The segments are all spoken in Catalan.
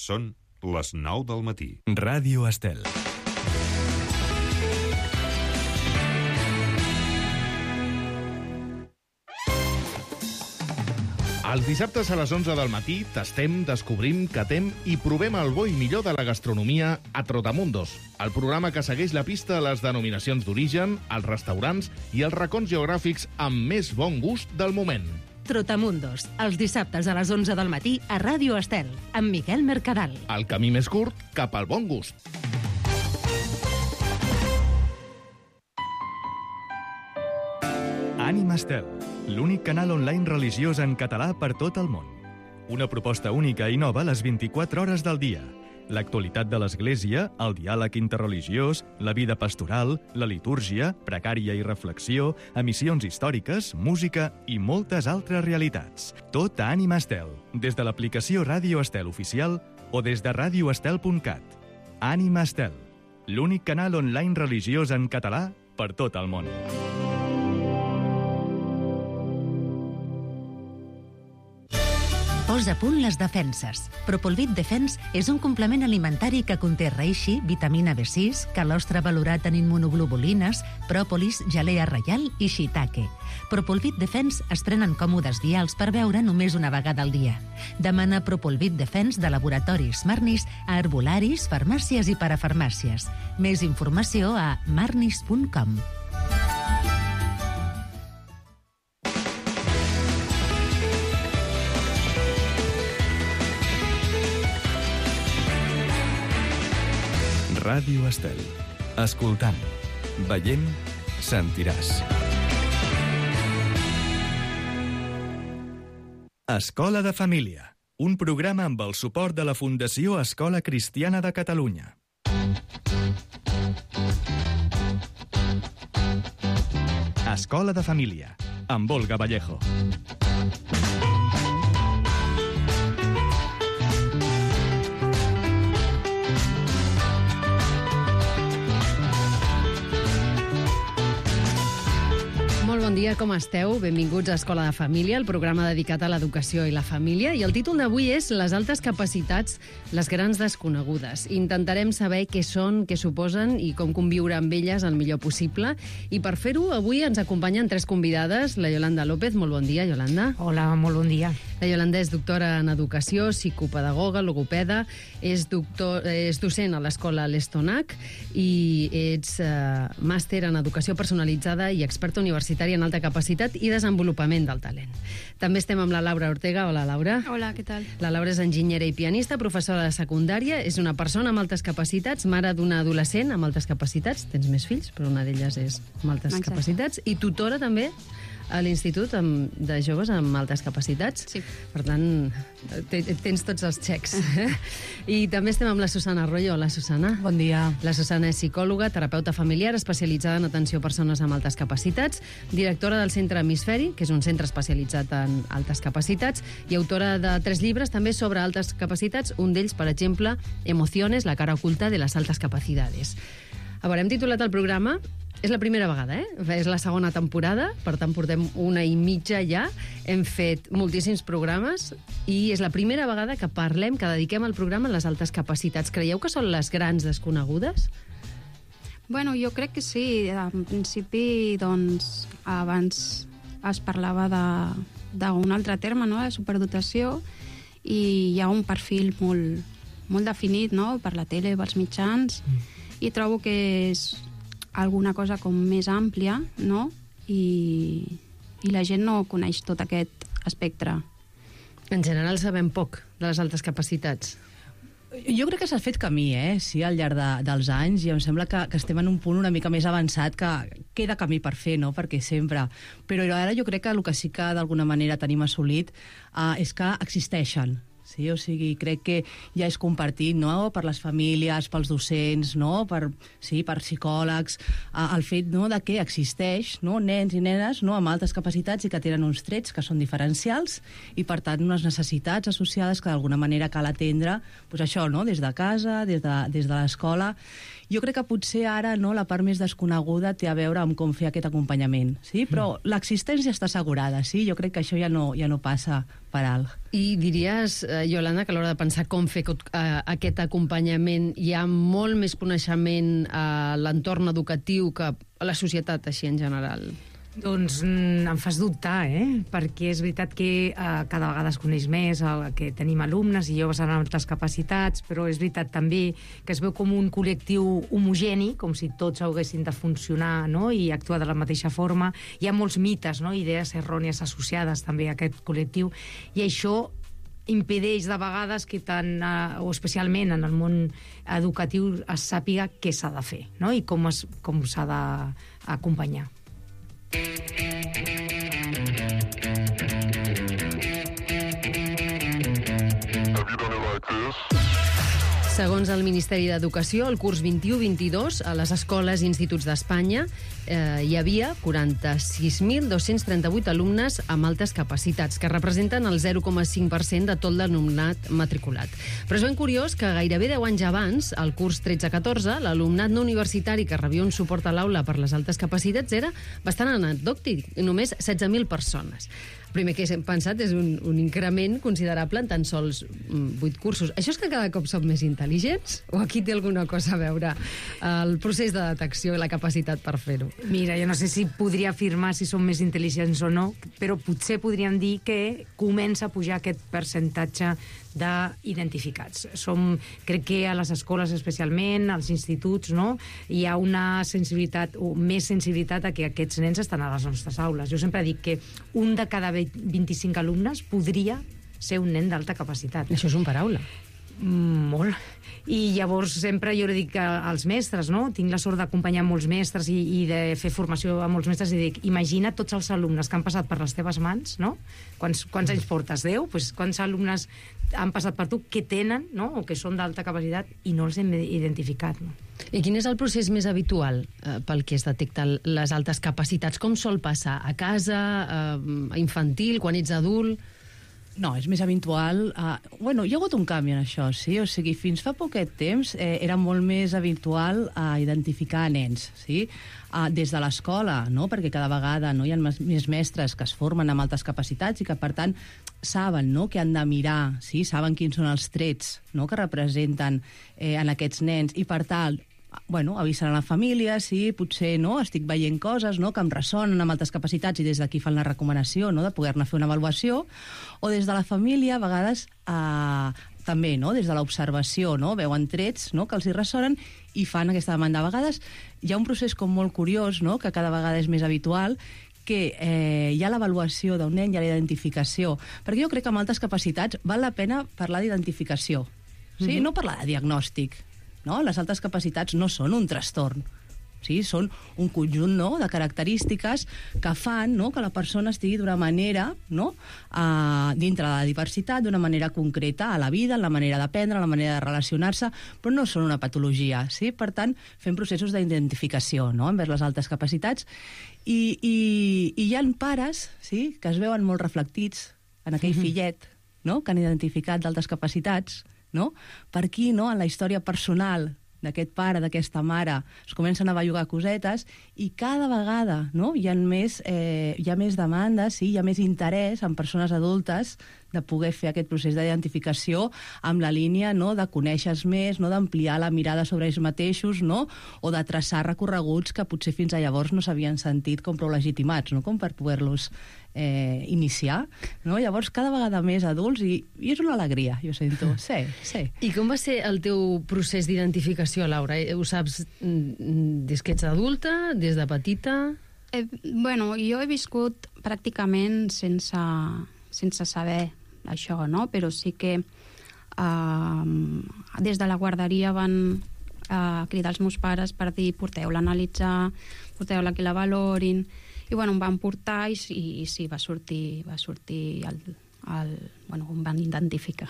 Són les 9 del matí. Ràdio Estel. Els dissabtes a les 11 del matí tastem, descobrim, catem i provem el bo i millor de la gastronomia a Trotamundos, el programa que segueix la pista a les denominacions d'origen, els restaurants i els racons geogràfics amb més bon gust del moment. Trotamundos, els dissabtes a les 11 del matí a Ràdio Estel, amb Miquel Mercadal. El camí més curt cap al bon gust. Ànima Estel, l'únic canal online religiós en català per tot el món. Una proposta única i nova a les 24 hores del dia. L'actualitat de l'Església, el diàleg interreligiós, la vida pastoral, la litúrgia, precària i reflexió, emissions històriques, música i moltes altres realitats. Tot a Ànima Estel, des de l'aplicació Ràdio Estel oficial o des de radioestel.cat. Ànima Estel, l'únic canal online religiós en català per tot el món. Posa a punt les defenses. Propolvit Defense és un complement alimentari que conté reishi, vitamina B6, calostre valorat en immunoglobulines, pròpolis, gelea reial i shiitake. Propolvit Defense es prenen còmodes vials per beure només una vegada al dia. Demana Propolvit Defense de laboratoris Marnis a herbolaris, farmàcies i parafarmàcies. Més informació a marnis.com. Ràdio Estel. Escoltant, veient, sentiràs. Escola de Família, un programa amb el suport de la Fundació Escola Cristiana de Catalunya. Escola de Família, amb Olga Vallejo. Molt bon dia, com esteu? Benvinguts a Escola de Família, el programa dedicat a l'educació i la família. I el títol d'avui és Les altes capacitats, les grans desconegudes. Intentarem saber què són, què suposen i com conviure amb elles el millor possible. I per fer-ho, avui ens acompanyen tres convidades. La Yolanda López, molt bon dia, Yolanda. Hola, molt bon dia. La Yolanda és doctora en educació, psicopedagoga, logopeda, és docent a l'escola l'Estonac i ets màster en educació personalitzada i experta universitària en alta capacitat i desenvolupament del talent. També estem amb la Laura Ortega. Hola, Laura. Hola, què tal? La Laura és enginyera i pianista, professora de secundària, és una persona amb altes capacitats, mare d'una adolescent amb altes capacitats, tens més fills, però una d'elles és amb altes capacitats, i tutora també a l'Institut de Joves amb altes capacitats. Sí. Per tant, tens tots els xecs. I també estem amb la Susana Arroyo. Hola, Susana. Bon dia. La Susana és psicòloga, terapeuta familiar, especialitzada en atenció a persones amb altes capacitats, directora del Centre Hemisferi, que és un centre especialitzat en altes capacitats, i autora de 3 llibres també sobre altes capacitats, un d'ells, per exemple, Emociones, la cara oculta de las altas capacidades. A veure, hem titulat el programa. És la primera vegada, És la segona temporada, per tant portem 1 i mitja ja. Hem fet moltíssims programes i és la primera vegada que parlem, que dediquem el programa a les altes capacitats. Creieu que són les grans desconegudes? Bueno, jo crec que sí. En principi, doncs, abans es parlava d'un altre terme, no?, de superdotació, i hi ha un perfil molt definit, no?, per la tele, pels mitjans, i trobo que és alguna cosa com més àmplia, no?, i la gent no coneix tot aquest espectre. En general sabem poc de les altes capacitats. Jo crec que s'ha fet camí, sí, al llarg dels anys, i em sembla que estem en un punt una mica més avançat, que queda camí per fer, no?, perquè sempre. Però ara jo crec que el que sí que d'alguna manera tenim assolit és que existeixen. Sí, o sigui, crec que ja és compartit, no?, per les famílies, pels docents, no?, per psicòlegs, el fet, no?, de que existeix, no?, nens i nenes, no?, amb altes capacitats i que tenen uns trets que són diferencials i, per tant, unes necessitats associades que d'alguna manera cal atendre, doncs això, no?, des de casa, des de l'escola. Jo crec que potser ara, no, la part més desconeguda té a veure amb com fer aquest acompanyament, sí? Però l'existència està assegurada, sí? Jo crec que això ja no passa per alt. I diries, Iolanda, que a l'hora de pensar com fer aquest acompanyament hi ha molt més coneixement a l'entorn educatiu que a la societat així en general? Doncs em fas dubtar, perquè és veritat que cada vegada es coneix més que tenim alumnes i joves amb altres capacitats, però és veritat també que es veu com un col·lectiu homogeni, com si tots haguessin de funcionar, no?, i actuar de la mateixa forma. Hi ha molts mites, no?, idees errònies associades també a aquest col·lectiu, i això impedeix de vegades que o especialment en el món educatiu es sàpiga què s'ha de fer, no?, i com s'ha d'acompanyar. Segons el Ministeri d'Educació, el curs 21-22 a les escoles i instituts d'Espanya hi havia 46.238 alumnes amb altes capacitats, que representen el 0,5% de tot l'alumnat matriculat. Però és ben curiós que gairebé 10 anys abans, al curs 13-14, l'alumnat no universitari que rebia un suport a l'aula per les altes capacitats era bastant anecdòtic, només 16.000 persones. El primer que hem pensat és un increment considerable en tan sols 8 cursos. Això és que cada cop som més intel·ligents? O aquí té alguna cosa a veure el procés de detecció i la capacitat per fer-ho? Mira, jo no sé si podria afirmar si som més intel·ligents o no, però potser podríem dir que comença a pujar aquest percentatge d'identificats. Crec que a les escoles especialment, als instituts, no?, hi ha una sensibilitat o més sensibilitat a que aquests nens estan a les nostres aules. Jo sempre dic que un de cada 25 alumnes podria ser un nen d'alta capacitat. Això és un paraula. Molt. I llavors sempre jo dic als mestres, no?, tinc la sort d'acompanyar molts mestres i de fer formació a molts mestres, i dic, imagina tots els alumnes que han passat per les teves mans, no? Quants anys portes? 10? Pues, quants alumnes han passat per tu que tenen, no?, o que són d'alta capacitat i no els hem identificat, no? I quin és el procés més habitual pel que es detecta les altes capacitats? Com sol passar? A casa, infantil, quan ets adult? No, és més habitual. Bueno, hi ha hagut un canvi en això, sí? O sigui, fins fa poquet temps era molt més habitual identificar nens, sí? Des de l'escola, no?, perquè cada vegada no, hi ha més mestres que es formen amb altes capacitats i que, per tant, saben, no?, que han de mirar, sí? Saben quins són els trets, no?, que representen en aquests nens, i per tant, bueno, avisen a la família, sí, potser no, estic veient coses, no, que em ressonen amb altes capacitats, i des d'aquí fan la recomanació, no, de poder-ne fer una avaluació, o des de la família, a vegades, també, no, des de l'observació, no, veuen trets, no, que els hi ressonen i fan aquesta demanda. A vegades hi ha un procés com molt curiós, no, que cada vegada és més habitual, que hi ha l'avaluació d'un nen, hi ha la identificació, perquè jo crec que amb altes capacitats val la pena parlar d'identificació, sí? No parlar de diagnòstic. No? Les altes capacitats no són un trastorn, sí? Són un conjunt, no?, de característiques que fan, no?, que la persona estigui d'una manera, no?, dintre de la diversitat, d'una manera concreta a la vida, en la manera d'aprendre, en la manera de relacionar-se, però no són una patologia, sí? Per tant, fem processos d'identificació, no?, envers les altes capacitats, i hi ha pares, sí?, que es veuen molt reflectits en aquell fillet, no?, que han identificat d'altes capacitats, no? Per aquí, no?, en la història personal d'aquest pare, d'aquesta mare, es comencen a bellugar cosetes, i cada vegada, no?, hi ha més demandes, sí? Hi ha més interès en persones adultes de poder fer aquest procés d'identificació amb la línia, no?, de conèixer més, no?, d'ampliar la mirada sobre ells mateixos, no?, o de traçar recorreguts que potser fins a llavors no s'havien sentit com prou legitimats, no?, com per poder-los iniciar, no? Llavors, cada vegada més adults, i és una alegria, jo sento. Sí, sí. I com va ser el teu procés d'identificació, Laura? Ho saps des que ets adulta, des de petita? Bueno, jo he viscut pràcticament sense saber això, no? Però sí que des de la guarderia van cridar els meus pares per dir, porteu-la a analitzar, porteu-la que la valorin, i bueno, em van portar i sí, va sortir bueno, em van identificar.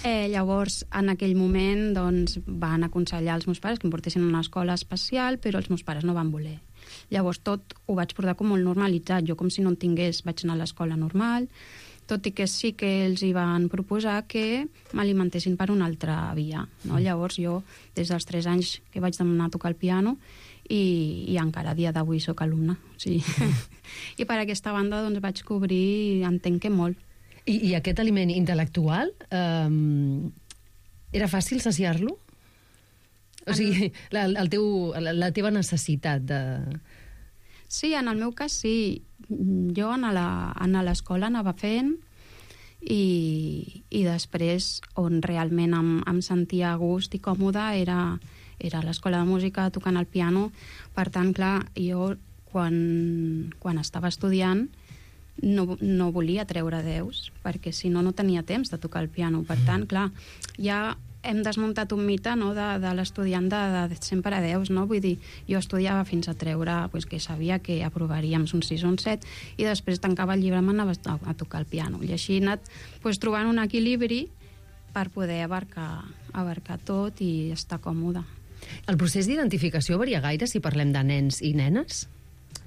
Llavors, en aquell moment, doncs, van aconsellar als meus pares que em portessin a una escola especial, però els meus pares no van voler. Llavors, tot ho vaig portar com molt normalitzat. Jo, com si no en tingués, vaig anar a l'escola normal, tot i que sí que els hi van proposar que m'alimentessin per una altra via, no? Llavors, jo, des dels 3 anys que vaig demanar a tocar el piano, i encara a dia d'avui sóc alumna. Sí. I per aquesta banda doncs, vaig cobrir, entenc que molt. I aquest aliment intel·lectual, era fàcil saciar-lo? O sigui, la teva necessitat de... Sí, en el meu cas sí. Jo a l'escola anava fent i després on realment em sentia a gust i còmoda era a l'escola de música tocant el piano. Per tant, clar, jo quan estava estudiant no volia treure 10 perquè si no tenia temps de tocar el piano. Per tant, clar, ja hem desmuntat un mite, no, de l'estudiant de sempre a 10, no? Vull dir, jo estudiava fins a treure que sabia que aprovaríem un 6 o un 7 i després tancava el llibre i m'anava a tocar el piano. I així he anat trobant un equilibri per poder abarcar tot i estar còmode. El procés d'identificació varia gaire si parlem de nens i nenes?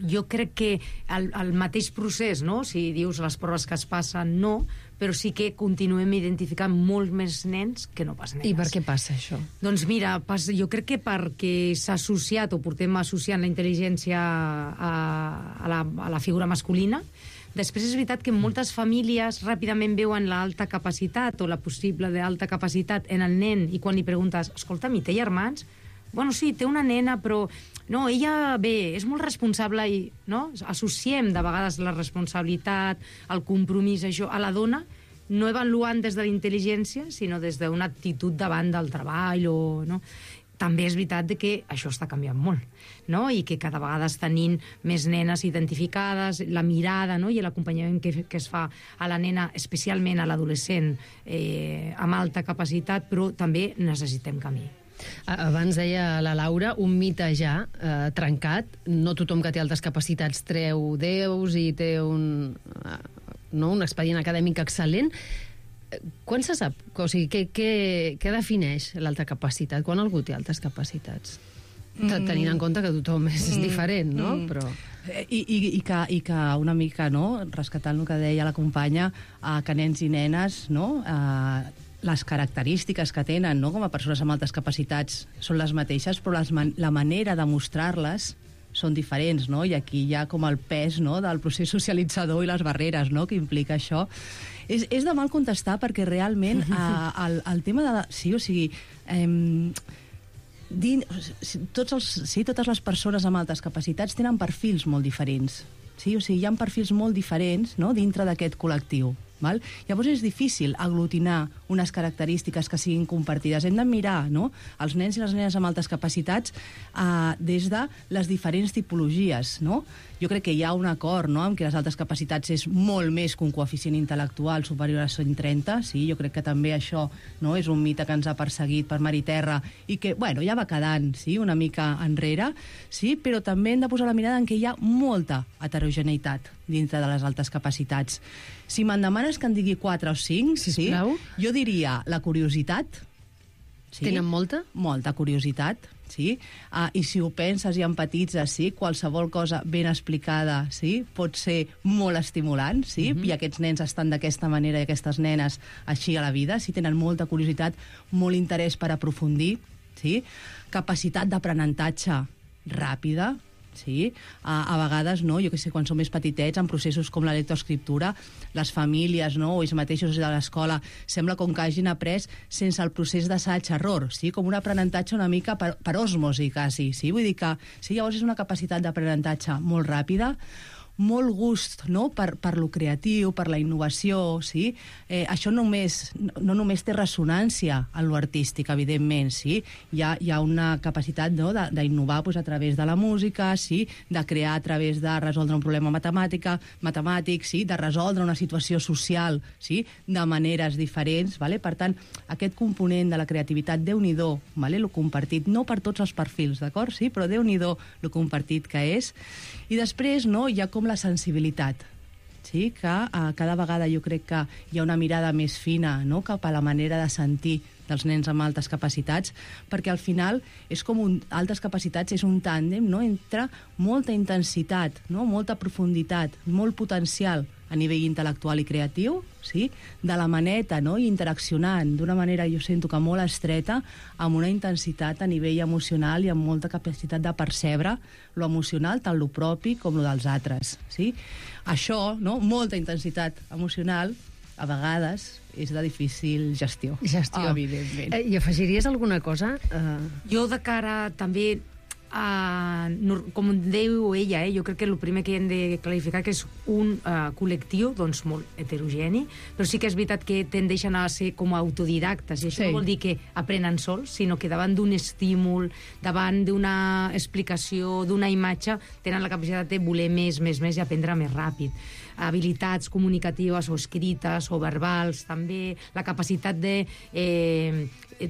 Jo crec que el mateix procés, no? Si dius les proves que es passen, no, però sí que continuem identificant molt més nens que no pas nenes. I per què passa això? Doncs mira, jo crec que perquè s'ha associat o portem associant la intel·ligència a la figura masculina. Després és veritat que moltes famílies ràpidament veuen l'alta capacitat o la possible d'alta capacitat en el nen i quan li preguntes, escolta'm, i té germans? Bueno, sí, té una nena, però no, ella, bé, és molt responsable i, no? Associem de vegades la responsabilitat, el compromís, això, a la dona, no avaluant des de la intel·ligència, sinó des d'una actitud davant del treball o, no? També és veritat que això està canviant molt, no? I que cada vegada tenint més nenes identificades, la mirada, no? I l'acompanyament que es fa a la nena, especialment a l'adolescent, amb alta capacitat, però també necessitem camí. Abans deia la Laura, un mite ja trencat. No tothom que té altes capacitats treu 10 i té un expedient acadèmic excel·lent. Quan se sap? O sigui, què defineix l'alta capacitat? Quan algú té altes capacitats? Tenint en compte que tothom és diferent, no? Però... I que una mica, no?, rescatant el que deia la companya, que nens i nenes, no?, les característiques que tenen, no?, com a persones amb altes capacitats són les mateixes, però la manera de mostrar-les són diferents, no? I aquí hi ha com el pes, no?, del procés socialitzador i les barreres, no?, que implica això. És de mal contestar perquè realment el tema de... Sí, o sigui... totes les persones amb altes capacitats tenen perfils molt diferents. Sí? O sigui, hi ha perfils molt diferents, no?, dintre d'aquest col·lectiu. Val? Llavors és difícil aglutinar unes característiques que siguin compartides. Hem de mirar, no?, els nens i les nenes amb altes capacitats des de les diferents tipologies, no? Jo crec que hi ha un acord, no?, amb que les altes capacitats és molt més que un coeficient intel·lectual superior a 130, sí? Jo crec que també això, no?, és un mite que ens ha perseguit per mar i terra i que, bueno, ja va quedant, sí?, una mica enrere, sí? Però també hem de posar la mirada en que hi ha molta heterogeneïtat dintre de les altes capacitats. Si me'n demanes que en digui 4 o 5, sisplau, sí, jo diria la curiositat. Sí? Tenen molta? Molta curiositat, sí. I si ho penses i empatitzes, sí, qualsevol cosa ben explicada, sí, pot ser molt estimulant, sí, i aquests nens estan d'aquesta manera i aquestes nenes així a la vida, sí, tenen molta curiositat, molt interès per aprofundir, sí, capacitat d'aprenentatge ràpida, sí? A vegades, no, jo que sé, quan som més petitets, en processos com la lectoescriptura, les famílies, no, o ells mateixos de l'escola, sembla com que hagin après sense el procés d'assaig-error, sí? Com un aprenentatge una mica per osmosi, quasi, sí? Vull dir que, sí, llavors és una capacitat d'aprenentatge molt ràpida, molt gust, no?, per lo creatiu, per la innovació, sí? Això no només té ressonància en lo artístic, evidentment, sí? Hi ha una capacitat, no?, d'innovar a través de la música, sí? De crear a través de resoldre un problema matemàtic, sí? De resoldre una situació social, sí? De maneres diferents, vale? Per tant, aquest component de la creativitat, Déu-n'hi-do, vale? Lo compartit, no per tots els perfils, d'acord? Sí? Però Déu-n'hi-do lo compartit que és. I després, no?, hi ha com la sensibilitat, sí? Que cada vegada jo crec que hi ha una mirada més fina, no?, cap a la manera de sentir dels nens amb altes capacitats, perquè al final és com altes capacitats és un tàndem, no?, entre molta intensitat, no?, molta profunditat, molt potencial a nivell intel·lectual i creatiu, sí? De la maneta, no? I interaccionant d'una manera, jo sento que molt estreta, amb una intensitat a nivell emocional i amb molta capacitat de percebre lo emocional, tant lo propi com lo dels altres, sí? Això, no? Molta intensitat emocional, a vegades és de difícil gestió. Evidentment. I afegiries alguna cosa? Jo de cara també com diu ella, jo crec que el primer que hem de clarificar que és un col·lectiu doncs, molt heterogeni, però sí que és veritat que tendeixen a ser com autodidactes, i això no vol dir que aprenen sols, sinó que davant d'un estímul, davant d'una explicació, d'una imatge, tenen la capacitat de voler més i aprendre més ràpid. Habilitats comunicatives o escrites o verbals, també la capacitat de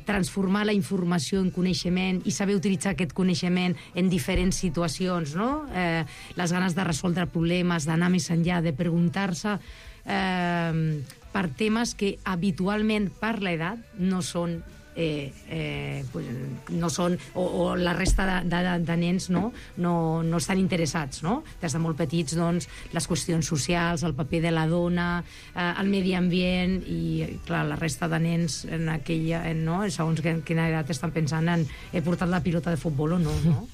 transformar la informació en coneixement i saber utilitzar aquest coneixement en diferents situacions, no? Les ganes de resoldre problemes, d'anar més enllà, de preguntar-se per temes que habitualment per l'edat no són o la resta de nens no estan interessats, no? Des de molt petits, doncs, les qüestions socials, el paper de la dona, el medi ambient, i clar, la resta de nens en aquella, no? Segons quina edat estan pensant en he portat la pilota de futbol o no, no?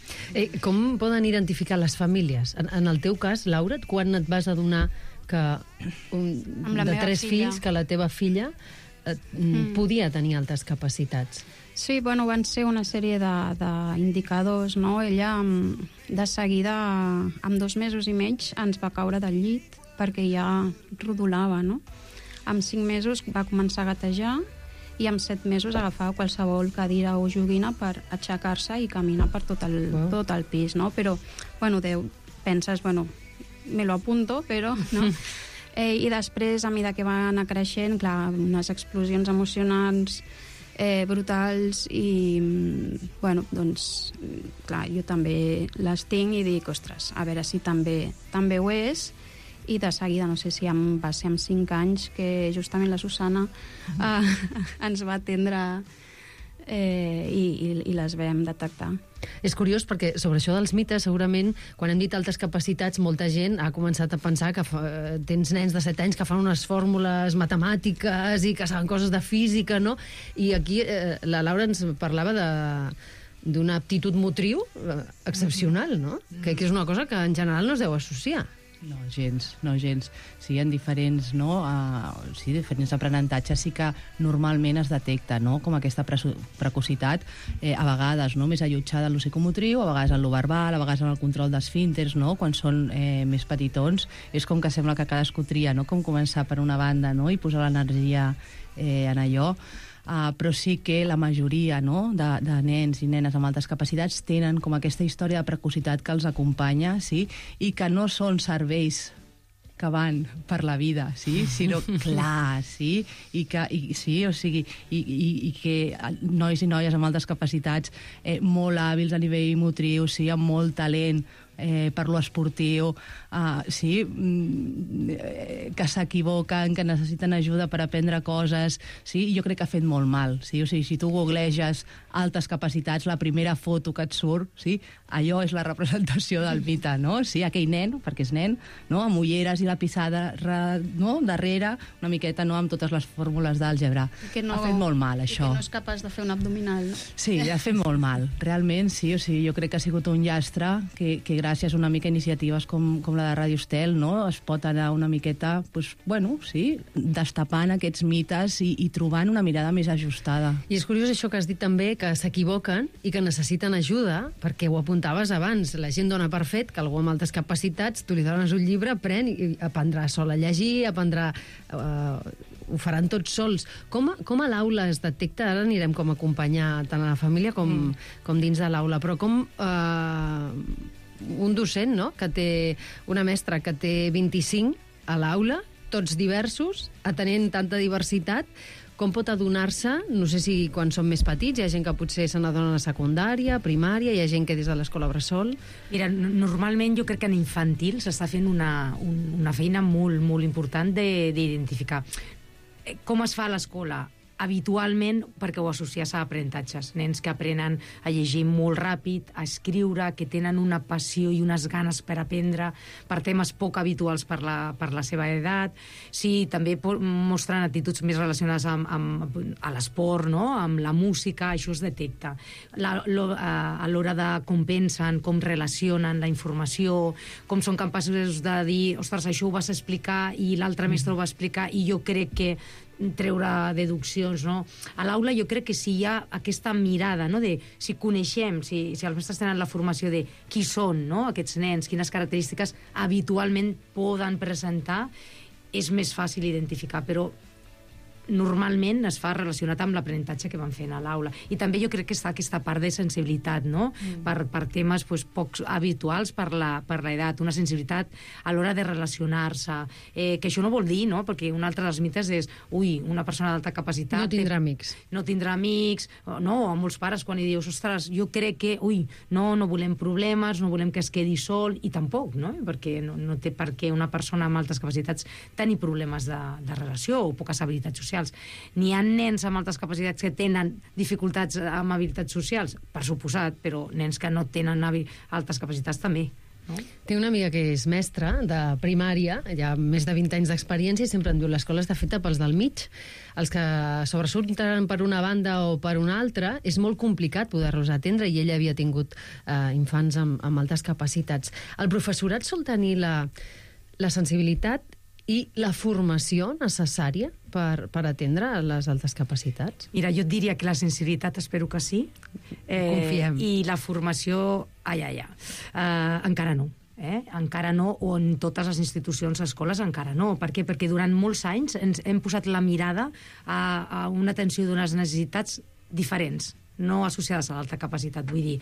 Com poden identificar les famílies? En el teu cas, Laura, quan et vas adonar que de 3 fills, que la teva filla podia tenir altes capacitats? Sí, bueno, van ser una sèrie d'indicadors, no? Ella, de seguida, amb 2 mesos i mig, ens va caure del llit, perquè ja rodolava, no? Amb 5 mesos va començar a gatejar, i amb 7 mesos agafava qualsevol cadira o joguina per aixecar-se i caminar per tot el pis, no? Però, bueno, penses, bueno, me lo apunto, però, no? I després, a mesura que va anar creixent, clar, unes explosions emocionals brutals i, bueno, doncs, clar, jo també les tinc i dic, ostres, a veure si també ho és, i de seguida, no sé si va ser amb 5 anys, que justament la Susana ens va atendre i les vam detectar. És curiós perquè sobre això dels mites, segurament, quan hem dit altes capacitats, molta gent ha començat a pensar que tens nens de 7 anys que fan unes fórmules matemàtiques i que saben coses de física, no? I aquí la Laura ens parlava d'una aptitud motriu excepcional, no? Que és una cosa que en general no es deu associar. No, gens. Sí, en diferents, diferents aprenentatges sí que normalment es detecta, no?, com aquesta precocitat, a vegades, no?, més allotjada en lo psicomotriu, a vegades en lo verbal, a vegades en el control d'esfínters, no?, quan són més petitons. És com que sembla que cadascú tria, no?, com començar per una banda, no?, i posar l'energia en allò. Però sí que la majoria, no?, de nens i nenes amb altes capacitats tenen com aquesta història de precocitat que els acompanya, sí?, i que no són cervells que van per la vida, sí? Sinó, clar, sí? I que nois i noies amb altes capacitats molt hàbils a nivell motriu, sí, amb molt talent per lo esportiu, sí, que s'equivoquen, que necessiten ajuda per aprendre coses, sí, jo crec que ha fet molt mal, sí, o sigui, si tu googleges altes capacitats, la primera foto que et surt, sí, allò és la representació del mite, no? Sí, aquell nen, perquè és nen, no?, amb ulleres i la pissada, no?, darrere, una miqueta, no?, amb totes les fórmules d'àlgebra. Ha fet molt mal, això. I que no és capaç de fer un abdominal, no? Sí, ha fet molt mal, realment, sí, o sigui, jo crec que ha sigut un llastre que gràcies a una mica iniciatives com la de Ràdio Estel, no?, es pot anar una miqueta, doncs, bueno, sí, destapant aquests mites i trobant una mirada més ajustada. I és curiós això que has dit també, que s'equivoquen i que necessiten ajuda, perquè ho apuntaves abans, la gent dona per fet que algú amb altes capacitats, tu li dones un llibre, aprèn i aprendrà sol a llegir, ho faran tots sols. Com a l'aula es detecta, ara anirem com a acompanyar tant a la família com dins de l'aula, però com un docent, no?, que té una mestra que té 25 a l'aula, tots diversos, atenent tanta diversitat, com pot adonar-se, no sé si quan són més petits, hi ha gent que potser se n'adona a secundària, primària, hi ha gent que des de l'escola bressol... Mira, normalment jo crec que en infantil s'està fent una feina molt, molt important d'identificar. Com es fa a l'escola? habitualment perquè ho associes a aprenentatges. Nens que aprenen a llegir molt ràpid, a escriure, que tenen una passió i unes ganes per aprendre per temes poc habituals per la seva edat. Sí, també mostren actituds més relacionades amb l'esport, no? Amb la música, això es detecta. A l'hora de com pensen, com relacionen la informació, com són capaços de dir, ostres, això ho vas explicar i l'altre mestre ho va explicar i jo crec que treure deduccions, no? A l'aula jo crec que si hi ha aquesta mirada, no?, de si coneixem, si els mestres tenen la formació de qui són, no?, aquests nens, quines característiques habitualment poden presentar, és més fàcil identificar, però normalment es fa relacionat amb l'aprenentatge que van fent a l'aula. I també jo crec que està aquesta part de sensibilitat, no?, per temes poc habituals per l'edat, una sensibilitat a l'hora de relacionar-se, que això no vol dir, no?, perquè un altre dels mites és, una persona d'alta capacitat... No tindrà amics. No tindrà amics, no, a molts pares quan hi dius, ostres, jo crec que, no volem problemes, no volem que es quedi sol, i tampoc, no?, perquè no té per què una persona amb altes capacitats tenir problemes de relació o poques habilitats socials. N'hi ha nens amb altes capacitats que tenen dificultats amb habilitats socials, per suposat, però nens que no tenen altes capacitats també. No? Té una amiga que és mestra de primària, ja més de 20 anys d'experiència, i sempre em diu, l'escola està feta pels del mig. Els que sobresurten per una banda o per una altra, és molt complicat poder-los atendre, i ella havia tingut infants amb altes capacitats. El professorat sol tenir la sensibilitat i la formació necessària per atendre les altes capacitats? Mira, jo et diria que la sensibilitat espero que sí. Confiem. I la formació, encara no. Encara no, o en totes les institucions, escoles, encara no. Per què? Perquè durant molts anys hem posat la mirada a una atenció d'unes necessitats diferents, no associades a l'alta capacitat. Vull dir,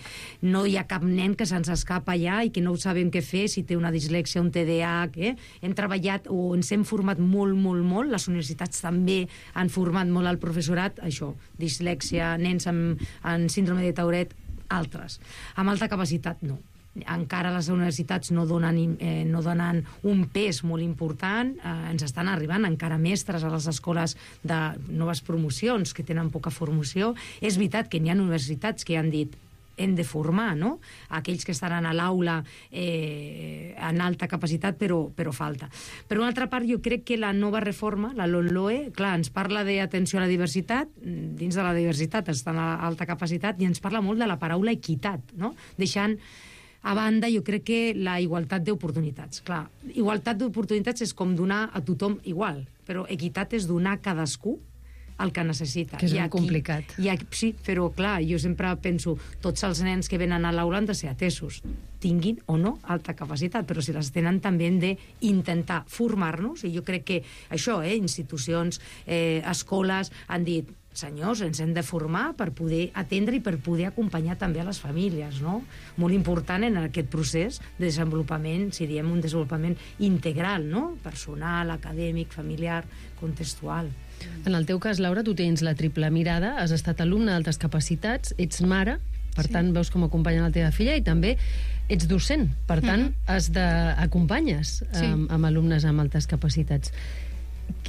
no hi ha cap nen que se'ns escapa allà i que no sabem què fer, si té una dislèxia, un TDAH. Hem treballat o ens hem format molt, molt, molt. Les universitats també han format molt el professorat, això, dislèxia, nens amb síndrome de Tourette, altres. Amb alta capacitat, no. Encara les universitats no donen un pes molt important, ens estan arribant encara mestres a les escoles de noves promocions que tenen poca formació. És veritat que n'hi ha universitats que han dit hem de formar, no?, aquells que estaran a l'aula en alta capacitat, però falta. Per una altra part, jo crec que la nova reforma, la LOMLOE, clar, ens parla d'atenció a la diversitat, dins de la diversitat està l'alta capacitat, i ens parla molt de la paraula equitat, no?, deixant a banda, jo crec que la igualtat d'oportunitats. Clar, igualtat d'oportunitats és com donar a tothom igual, però equitat és donar a cadascú el que necessita. Que és molt complicat. Sí, però clar, jo sempre penso, tots els nens que venen a l'aula han de ser atesos, tinguin o no alta capacitat, però si les tenen també hem d'intentar formar-nos, i jo crec que això, institucions, escoles, han dit, senyors, ens hem de formar per poder atendre i per poder acompanyar també a les famílies, no? Molt important en aquest procés de desenvolupament, si diem un desenvolupament integral, no?, personal, acadèmic, familiar, contextual. En el teu cas, Laura, tu tens la triple mirada, has estat alumne d'altes capacitats, ets mare, per tant, veus com acompanya la teva filla, i també ets docent, per tant, acompanyes amb alumnes amb altes capacitats.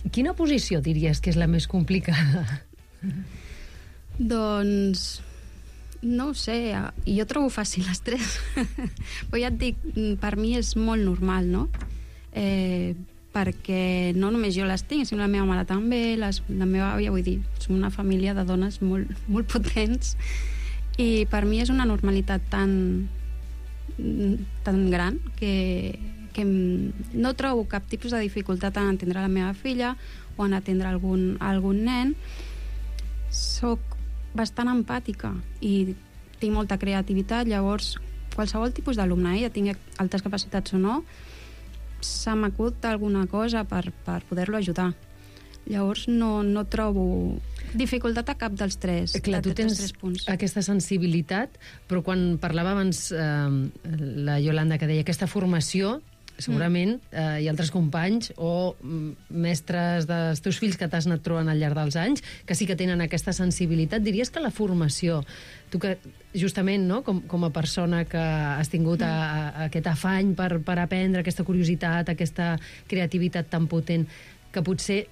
Quina posició diries que és la més complicada? Doncs no ho sé, jo trobo fàcil les tres. Però ja et dic, per mi és molt normal, no? Perquè no només jo les tinc, sinó la meva mare també, la meva àvia, vull dir, som una família de dones molt, molt potents, i per mi és una normalitat tan gran que no trobo cap tipus de dificultat en entendre la meva filla o en atendre algun nen. Soc bastant empàtica i tinc molta creativitat, llavors qualsevol tipus d'alumne, ja tingui altes capacitats o no, se m'acut alguna cosa per poder-lo ajudar. Llavors no trobo dificultat a cap dels tres. Clar, tu tens aquesta sensibilitat, però quan parlava abans la Yolanda, que deia aquesta formació, segurament hi ha altres companys o mestres dels teus fills que t'has anat trobant al llarg dels anys que sí que tenen aquesta sensibilitat. Diries que la formació, tu que justament, no, com a persona que has tingut aquest afany per aprendre, aquesta curiositat, aquesta creativitat tan potent, que potser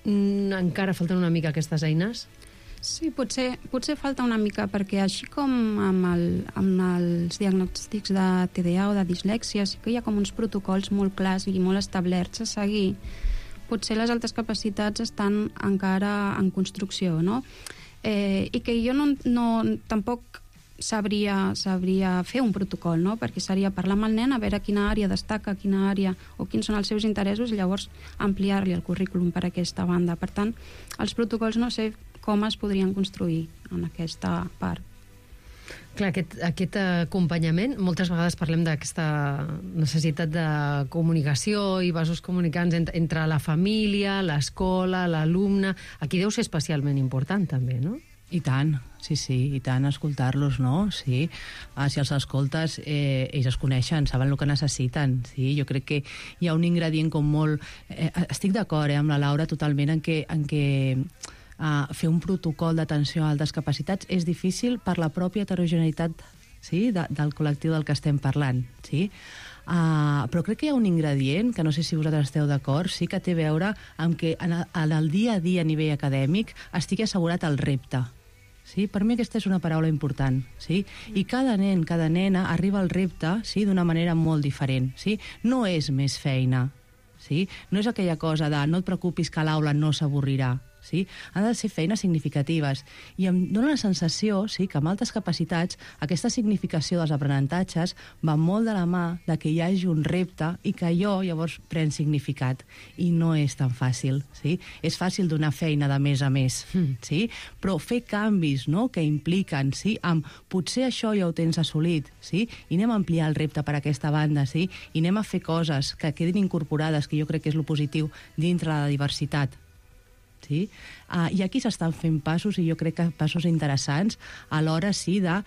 encara falten una mica aquestes eines? Sí, potser falta una mica, perquè així com amb els diagnòstics de TDA o de dislèxia, sí que hi ha com uns protocols molt clars i molt establerts a seguir. Potser les altres capacitats estan encara en construcció, no? I que jo tampoc sabria fer un protocol, no? Perquè seria parlar amb el nen, a veure quina àrea destaca, quina àrea o quins són els seus interessos, i llavors ampliar-li el currículum per aquesta banda. Per tant, els protocols no sé com es podrien construir en aquesta part. Clar, aquest acompanyament, moltes vegades parlem d'aquesta necessitat de comunicació i vasos comunicants entre la família, l'escola, l'alumne. Aquí deu ser especialment important, també, no? I tant, sí, i tant, escoltar-los, no? Sí, si els escoltes, ells es coneixen, saben el que necessiten, sí? Jo crec que hi ha un ingredient com molt... estic d'acord amb la Laura totalment en què fer un protocol d'atenció a altes capacitats és difícil per la pròpia heterogeneïtat, sí, del col·lectiu del que estem parlant, sí? Però crec que hi ha un ingredient, que no sé si vosaltres esteu d'acord, sí que té a veure amb que en el dia a dia a nivell acadèmic estigui assegurat el repte. Sí? Per mi aquesta és una paraula important. Sí? I cada nen, cada nena arriba al repte, sí, d'una manera molt diferent. Sí? No és més feina. Sí? No és aquella cosa de no et preocupis que l'aula no s'avorrirà. Sí? Han de ser feines significatives. I em dóna la sensació, sí, que amb altes capacitats aquesta significació dels aprenentatges va molt de la mà de que hi hagi un repte i que allò llavors pren significat. I no és tan fàcil. Sí? És fàcil donar feina de més a més, sí? Però fer canvis, no?, que impliquen, sí, amb potser això ja ho tens assolit, sí? I anem a ampliar el repte per aquesta banda, sí? I anem a fer coses que quedin incorporades, que jo crec que és lo positiu, dintre la diversitat. Sí? I aquí s'estan fent passos, i jo crec que passos interessants, a l'hora, sí, de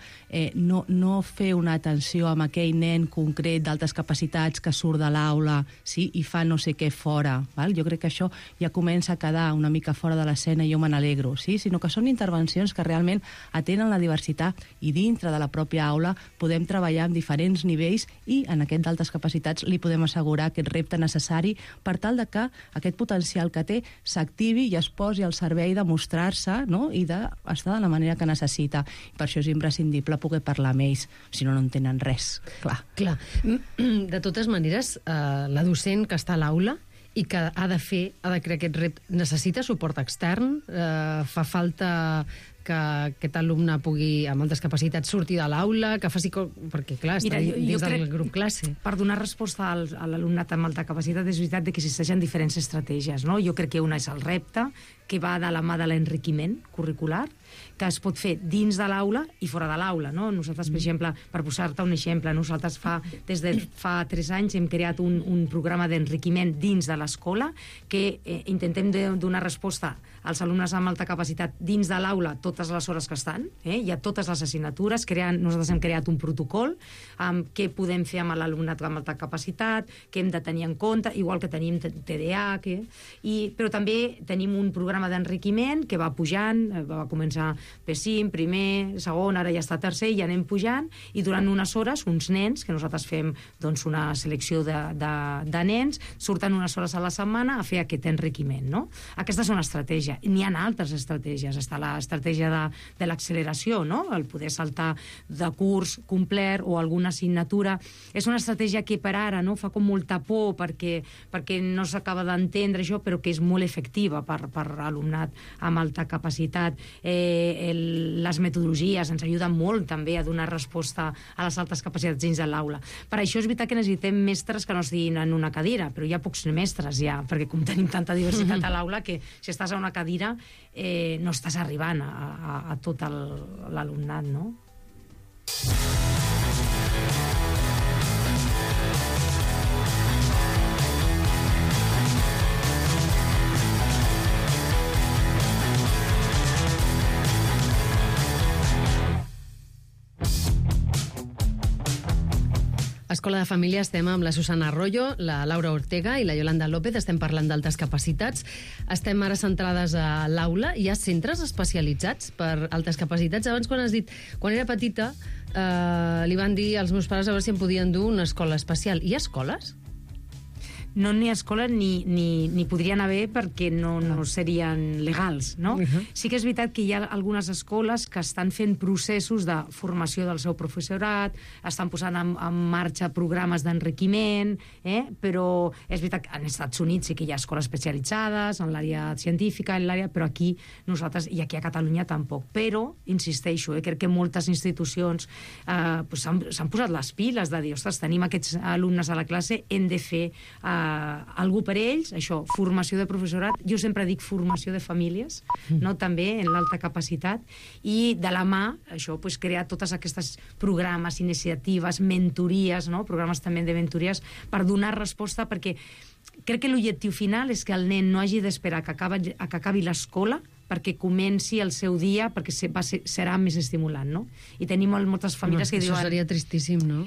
no fer una atenció amb aquell nen concret d'altes capacitats que surt de l'aula, sí, i fa no sé què fora. Val? Jo crec que això ja comença a quedar una mica fora de l'escena i jo me n'alegro, sí? Sinó que són intervencions que realment atenen la diversitat i dintre de la pròpia aula podem treballar amb diferents nivells i en aquest d'altes capacitats li podem assegurar aquest repte necessari per tal de que aquest potencial que té s'activi i es posi al servei de mostrar-se, no?, i d'estar de la manera que necessita. I per això és imprescindible poder parlar amb ells, si no, no entenen res. Clar. De totes maneres, la docent que està a l'aula i que ha de crear aquest repte, necessita suport extern? Fa falta que aquest alumne pugui, amb altres capacitats, sortir de l'aula, que faci... Perquè, clar, està dins del grup classe. Per donar resposta a l'alumnat amb alta capacitat, és veritat que existeixen diferents estratègies, no? Jo crec que una és el repte, que va de la mà de l'enriquiment curricular, que es pot fer dins de l'aula i fora de l'aula, no? Nosaltres, per exemple, per posar-te un exemple, nosaltres des de fa 3 anys hem creat un programa d'enriquiment dins de l'escola que intentem donar resposta als alumnes amb alta capacitat dins de l'aula totes les hores que estan, hi ha totes les assignatures, nosaltres hem creat un protocol amb què podem fer amb l'alumnat amb alta capacitat, què hem de tenir en compte, igual que tenim TDA, però també tenim un programa d'enriquiment que va pujant, va començar P5, primer, segon, ara ja està tercer, i anem pujant, i durant unes hores, uns nens, que nosaltres fem doncs, una selecció de nens, surten unes hores a la setmana a fer aquest enriquiment, no? Aquesta és una estratègia. N'hi ha altres estratègies. Està l'estratègia de l'acceleració, no? El poder saltar de curs complet o alguna assignatura. És una estratègia que per ara no fa com molta por perquè no s'acaba d'entendre això, però que és molt efectiva per alumnat amb alta capacitat. Les metodologies ens ajuden molt també a donar resposta a les altes capacitats dins de l'aula. Per això és veritat que necessitem mestres que no estiguin en una cadira, però hi ha pocs mestres ja, perquè com tenim tanta diversitat a l'aula que si estàs a una cadira no estàs arribant a tot l'alumnat, no? Escola de Família estem amb la Susana Arroyo, la Laura Ortega i la Yolanda López. Estem parlant d'altes capacitats. Estem ara centrades a l'aula. Hi ha centres especialitzats per altes capacitats. Abans, quan has dit, quan era petita, li van dir als meus pares a veure si em podien dur una escola especial. Hi ha escoles? no n'hi ha escola ni podrien haver perquè no serien legals, no? Sí que és veritat que hi ha algunes escoles que estan fent processos de formació del seu professorat, estan posant en marxa programes d'enriquiment, però és veritat que als Estats Units sí que hi ha escoles especialitzades en l'àrea científica, però aquí nosaltres, i aquí a Catalunya tampoc. Però, insisteixo, crec que moltes institucions s'han posat les piles de dir, ostres, tenim aquests alumnes a la classe, hem de fer algú per ells, això, formació de professorat, jo sempre dic formació de famílies, no? També en l'alta capacitat, i de la mà, això, crear totes aquestes programes, iniciatives, mentories, no? Programes també de mentories, per donar resposta, perquè crec que l'objectiu final és que el nen no hagi d'esperar que acabi l'escola perquè comenci el seu dia, perquè serà més estimulant, no? I tenim moltes famílies que diuen... Això seria tristíssim, no?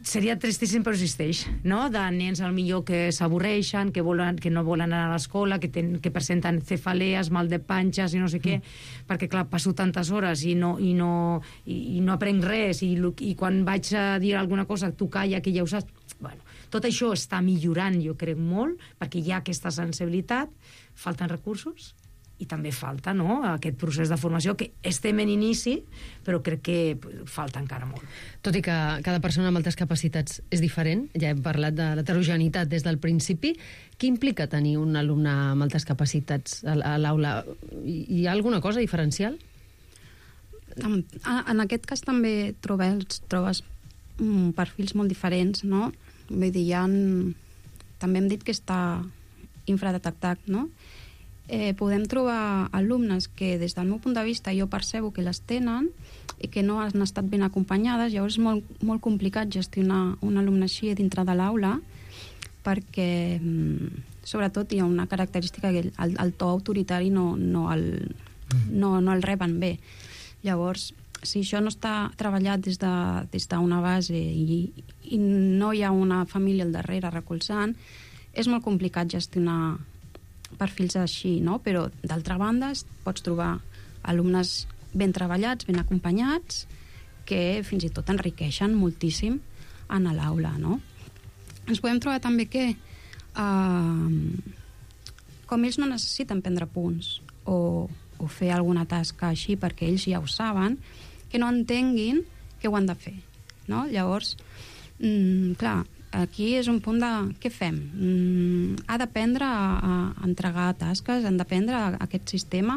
Seria tristíssim, però existeix, no? De nens al millor que s'avorreixen, que no volen anar a l'escola, que presenten cefalees, mal de panxes i no sé què, perquè clar, passo tantes hores i no aprenc res, i quan vaig a dir alguna cosa tu calla, que ja ho saps. Bueno, tot això està millorant, jo crec, molt, perquè hi ha aquesta sensibilitat, falten recursos, i també falta, no?, aquest procés de formació, que estem en inici, però crec que falta encara molt. Tot i que cada persona amb altes capacitats és diferent, ja hem parlat de l'heterogeneïtat des del principi, què implica tenir un alumne amb altes capacitats a l'aula? Hi ha alguna cosa diferencial? En aquest cas també trobes perfils molt diferents, no? Vull dir, també hem dit que està infradetectat, no? Podem trobar alumnes que des del meu punt de vista jo percebo que les tenen i que no han estat ben acompanyades, llavors és molt complicat gestionar un alumne així dintre de l'aula, perquè sobretot hi ha una característica que el to autoritari no el reben bé. Llavors, si això no està treballat des d'una base i no hi ha una família al darrere recolzant, és molt complicat gestionar perfils així, no? Però d'altra banda pots trobar alumnes ben treballats, ben acompanyats, que fins i tot enriqueixen moltíssim en l'aula, no? Ens podem trobar també que com ells no necessiten prendre punts o fer alguna tasca així perquè ells ja ho saben, que no entenguin que ho han de fer, no? Llavors, clar, aquí és un punt de què fem? Ha d'aprendre a entregar tasques, han d'aprendre aquest sistema.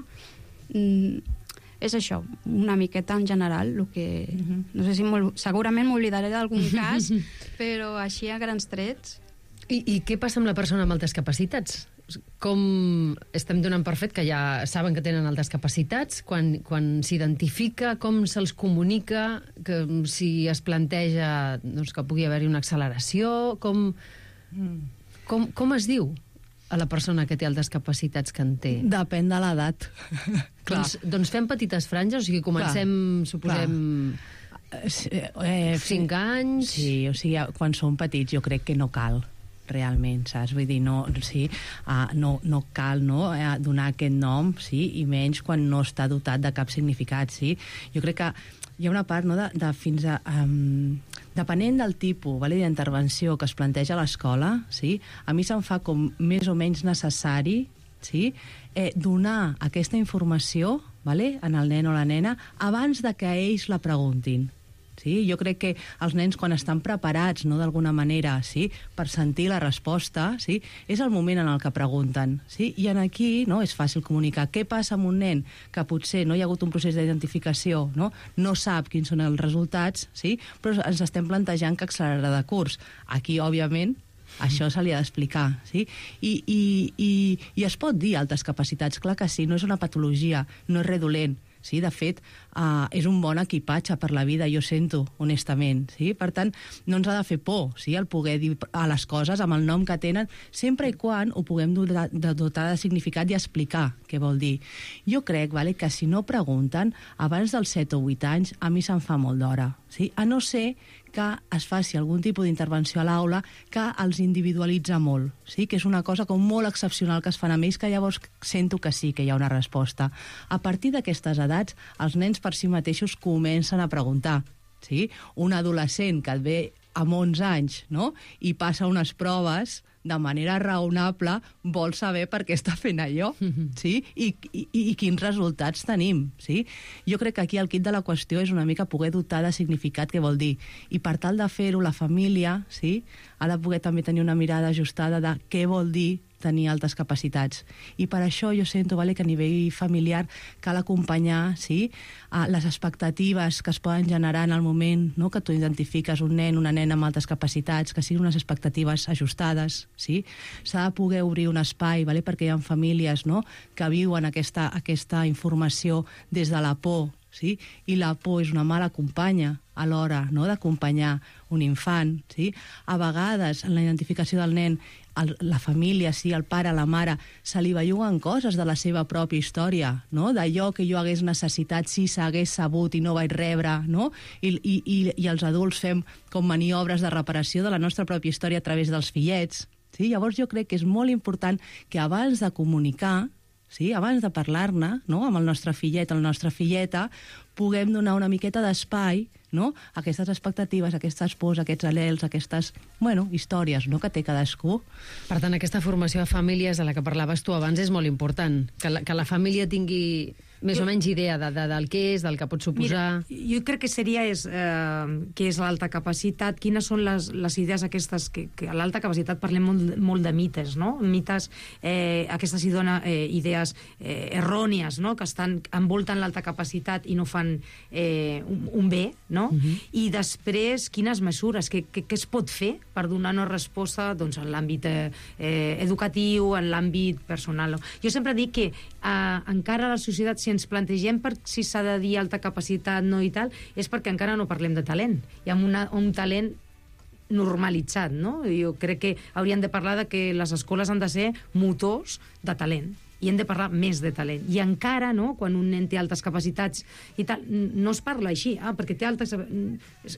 És això, una miqueta en general, el que no sé si segurament m'oblidaré d'algun cas, però així a grans trets. I què passa amb la persona amb altes capacitats? Com estem donant per fet que ja saben que tenen altes capacitats, quan s'identifica, com se'ls comunica, que si es planteja doncs, que pugui haver-hi una acceleració, com es diu a la persona que té altes capacitats que en té? Depèn de l'edat. Doncs fem petites franges, o sigui, comencem, suposem... 5 anys... Sí, o sigui, quan som petits jo crec que no cal realment, saps? Vull dir, no cal donar aquest nom, sí? I menys quan no està dotat de cap significat, sí? Jo crec que hi ha una part, no, de fins a... depenent del tipus d'intervenció que es planteja a l'escola, sí? A mi se'm fa com més o menys necessari, sí? Donar aquesta informació en el nen o la nena abans de que ells la preguntin. Sí? Jo crec que els nens, quan estan preparats, no, d'alguna manera, sí, per sentir la resposta, sí, és el moment en el que pregunten. Sí? I aquí no, és fàcil comunicar què passa amb un nen que potser no hi ha hagut un procés d'identificació, no sap quins són els resultats, sí? Però ens estem plantejant que accelerarà de curs. Aquí, òbviament, això se li ha d'explicar, sí? I es pot dir altes capacitats, clar que sí, no és una patologia, no és res dolent. Sí, de fet, és un bon equipatge per la vida, jo sento, honestament. Sí? Per tant, no ens ha de fer por, sí, el poder dir a les coses amb el nom que tenen, sempre i quan ho puguem dotar de significat i explicar què vol dir. Jo crec que si no pregunten, abans dels 7 o 8 anys, a mi se'm fa molt d'hora. Sí? A no ser que es faci algun tipus d'intervenció a l'aula que els individualitza molt, sí? Que és una cosa com molt excepcional que es fan amb ells, que llavors sento que sí que hi ha una resposta. A partir d'aquestes edats, els nens per si mateixos comencen a preguntar. Sí? Un adolescent que et ve amb 11 anys, no? I passa unes proves de manera raonable vol saber per què està fent allò, sí? I quins resultats tenim, sí? Jo crec que aquí el quid de la qüestió és una mica poder dotar de significat què vol dir. I per tal de fer-ho, la família, sí, ha de poder també tenir una mirada ajustada de què vol dir tenir altes capacitats. I per això jo sento, que a nivell familiar cal acompanyar, sí, les expectatives que es poden generar en el moment, no?, que tu identifiques un nen, una nena amb altes capacitats, que siguin unes expectatives ajustades, sí? S'ha de poder obrir un espai, perquè hi ha famílies, no?, que viuen aquesta informació des de la por, sí? I la por és una mala companya a l'hora, no?, d'acompanyar un infant, sí? A vegades, en la identificació del nen, la família, sí, el pare, la mare, se li belluguen coses de la seva pròpia història, no?, d'allò que jo hagués necessitat si s'hagués sabut i no vaig rebre, no?, i els adults fem com maniobres de reparació de la nostra pròpia història a través dels fillets, sí? Llavors jo crec que és molt important que abans de comunicar, sí, abans de parlar-ne, no?, amb el nostre fillet, la nostra filleta, puguem donar una miqueta d'espai, no?, a aquestes expectatives, aquestes pors, aquests anhels, aquestes, històries, no?, que té cadascú. Per tant, aquesta formació de famílies de la que parlaves tu abans és molt important, que la família tingui més o menys idea del que és, del que pot suposar. Mira, jo crec que seria què és l'alta capacitat, quines són les idees aquestes, que a l'alta capacitat parlem molt de mites, no? Mites, aquestes idees errònies, no?, que envolten l'alta capacitat i no fan un bé, no? I després, quines mesures, què es pot fer per donar una resposta en l'àmbit educatiu, en l'àmbit personal. Jo sempre dic que encara a la societat, si ens plantegem si s'ha de dir alta capacitat, no i tal, és perquè encara no parlem de talent. Hi ha un talent normalitzat, no? Jo crec que hauríem de parlar de que les escoles han de ser motors de talent i hem de parlar més de talent. I encara, no?, quan un nen té altes capacitats i tal, no es parla així, perquè té altes...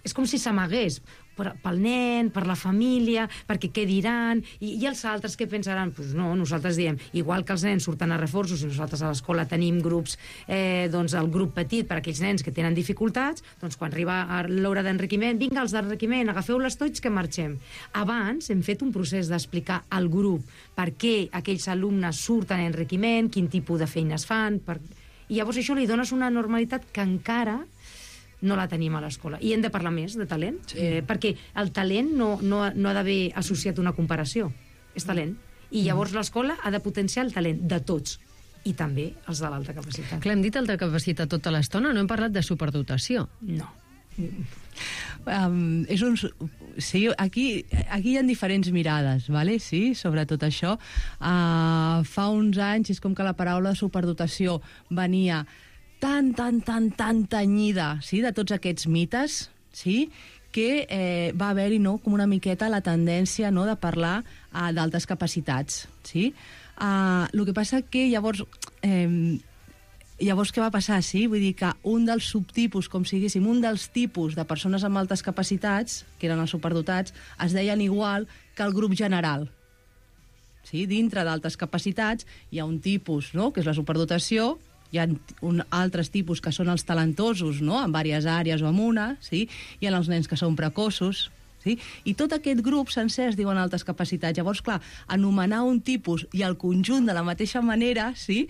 És com si s'amagués pel nen, per la família, perquè què diran, i els altres què pensaran? Doncs no, nosaltres diem, igual que els nens surten a reforços i nosaltres a l'escola tenim grups, el grup petit per a aquells nens que tenen dificultats, doncs quan arriba l'hora d'enriquiment, vinga, els d'enriquiment, agafeu les tots que marxem. Abans hem fet un procés d'explicar al grup per què aquells alumnes surten a enriquiment, quin tipus de feines fan, i llavors això li dones una normalitat que encara no la tenim a l'escola. I hem de parlar més de talent, perquè el talent no ha d'haver associat una comparació. És talent. I llavors l'escola ha de potenciar el talent de tots, i també els de l'alta capacitat. Clar, hem dit alta capacitat tota l'estona, no hem parlat de superdotació. No. Sí, aquí hi ha diferents mirades, ¿vale? Sí, sobre tot això. Fa uns anys és com que la paraula superdotació venia tan tenyida, sí, de tots aquests mites, sí, que va haver-hi, no?, com una miqueta la tendència, no?, de parlar d'altes capacitats, sí? El que passa que llavors què va passar, sí? Vull dir que un dels subtipus, com si diguéssim, un dels tipus de persones amb altes capacitats, que eren els superdotats, es deien igual que el grup general. Sí? Dintre d'altes capacitats hi ha un tipus, no?, que és la superdotació, hi ha altres tipus que són els talentosos, no?, en diverses àrees o en una, sí? Hi ha els nens que són precoços, sí? I tot aquest grup sencer es diuen altes capacitats. Llavors, clar, anomenar un tipus i el conjunt de la mateixa manera, sí?,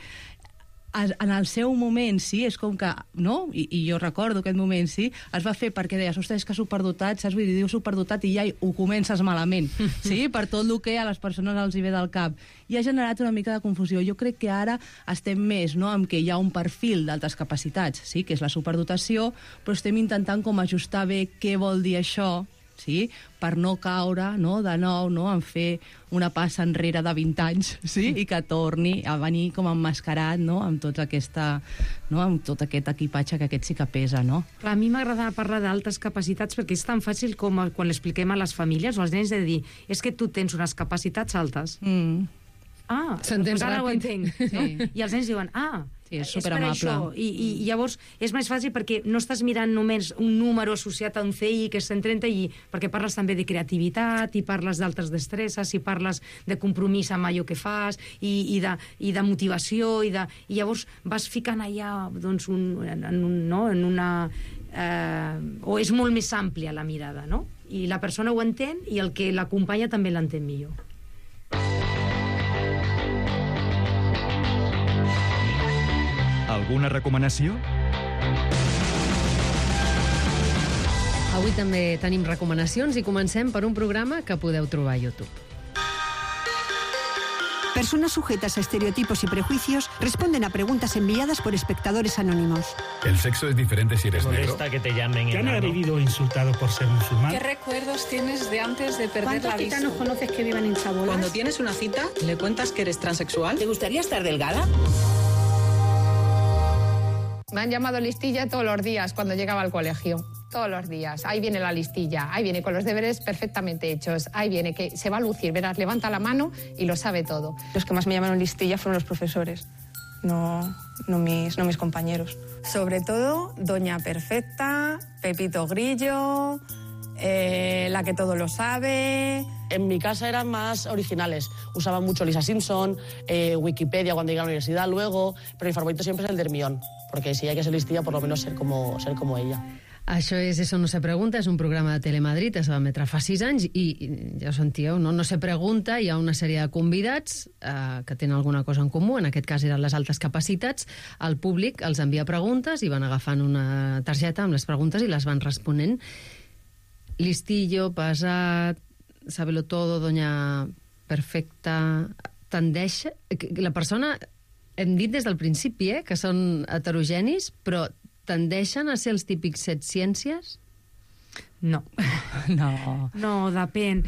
en el seu moment, sí, és com que, no? I jo recordo aquest moment, sí, es va fer perquè deies, ostres, és que superdotat, saps? Vull dir, dius superdotat i ja ho comences malament, sí? Per tot el que a les persones els hi ve del cap. I ha generat una mica de confusió. Jo crec que ara estem més, no?, amb que hi ha un perfil d'altes capacitats, sí?, que és la superdotació, però estem intentant com ajustar bé què vol dir això, sí?, per no caure, no?, de nou, no?, en fer una passa enrere de 20 anys, sí?, i que torni a venir com emmascarat, no?, amb tot aquest equipatge que aquest sí que pesa, no? Clar, a mi m'agrada parlar d'altes capacitats perquè és tan fàcil com quan l'expliquem a les famílies o als nens de dir, és que tu tens unes capacitats altes. S'entén ara ho ràpid. entenc. No? Sí. I els nens diuen, sí, és és per superamable. això. I llavors és més fàcil perquè no estàs mirant només un número associat a un CI que és 130 perquè parles també de creativitat i parles d'altres destresses i parles de compromís amb allò que fas i de motivació i llavors vas ficant allà doncs, o és molt més àmplia la mirada, no? I la persona ho entén i el que l'acompanya també l'entén millor. Alguna recomanació? Avui també tenim recomanacions i comencem per un programa que podeu trobar a YouTube. Personas sujetas a estereotipos y prejuicios responden a preguntas enviadas por espectadores anónimos. ¿El sexo es diferente si eres negro? ¿Molesta que te llamen ¿Te han vivido insultado por ser musulmán? ¿Qué recuerdos tienes de antes de perder la vista? ¿Cuántos gitanos conoces que vivan en chabolas? Cuando tienes una cita, ¿le cuentas que eres transexual? ¿Te gustaría estar delgada? Me han llamado listilla todos los días cuando llegaba al colegio. Todos los días. Ahí viene la listilla, ahí viene con los deberes perfectamente hechos, ahí viene que se va a lucir, verás, levanta la mano y lo sabe todo. Los que más me llamaron listilla fueron los profesores, no mis compañeros. Sobre todo, Doña Perfecta, Pepito Grillo, la que todo lo sabe. En mi casa eran más originales. Usaban mucho Lisa Simpson, Wikipedia cuando llegué a la universidad luego, pero mi favorito siempre es el de Hermione, porque si hay que ser listilla, por lo menos ser como ella. Això és Eso no se pregunta, és un programa de Telemadrid, es va emetre fa 6 anys i ja ho sentíeu, no se pregunta, hi ha una sèrie de convidats que tenen alguna cosa en comú, en aquest cas eren les altes capacitats, el públic els envia preguntes i van agafant una targeta amb les preguntes i les van responent. Listillo, pesat, sábelo todo, Doña Perfecta, tendeix... La persona, hem dit des del principi, que són heterogenis, però tendeixen a ser els típics setciències? No, depèn.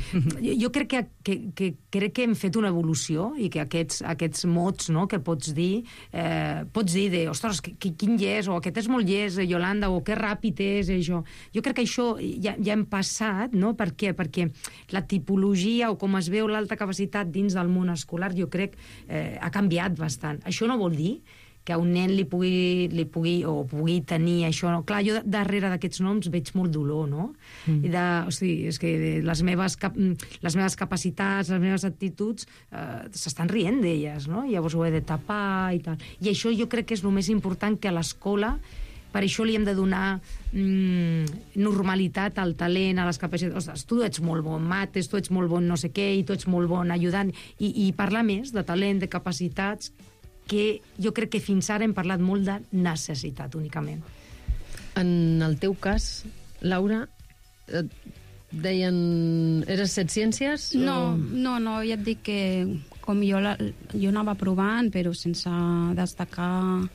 Jo crec que hem fet una evolució i que aquests mots, no, que pots dir de, ostres, quin llest, o aquest és molt llest, Yolanda, o que ràpid és, això. Jo crec que això ja hem passat, no? Per què? Perquè la tipologia o com es veu l'alta capacitat dins del món escolar, jo crec ha canviat bastant. Això no vol dir que un nen li pugui tenir això. Clar, jo darrere d'aquests noms veig molt dolor, no? És que les meves capacitats, les meves actituds, s'estan rient d'elles, no? Llavors ho he de tapar i tal. I això jo crec que és el més important, que a l'escola, per això li hem de donar normalitat al talent, a les capacitats. Ostres, tu ets molt bon mates, tu ets molt bon no sé què, i tu ets molt bon ajudant. I parlar més de talent, de capacitats, que jo crec que fins ara hem parlat molt de necessitat, únicament. En el teu cas, Laura, deien... Eres setciències? No, ja et dic que com jo anava provant, però sense destacar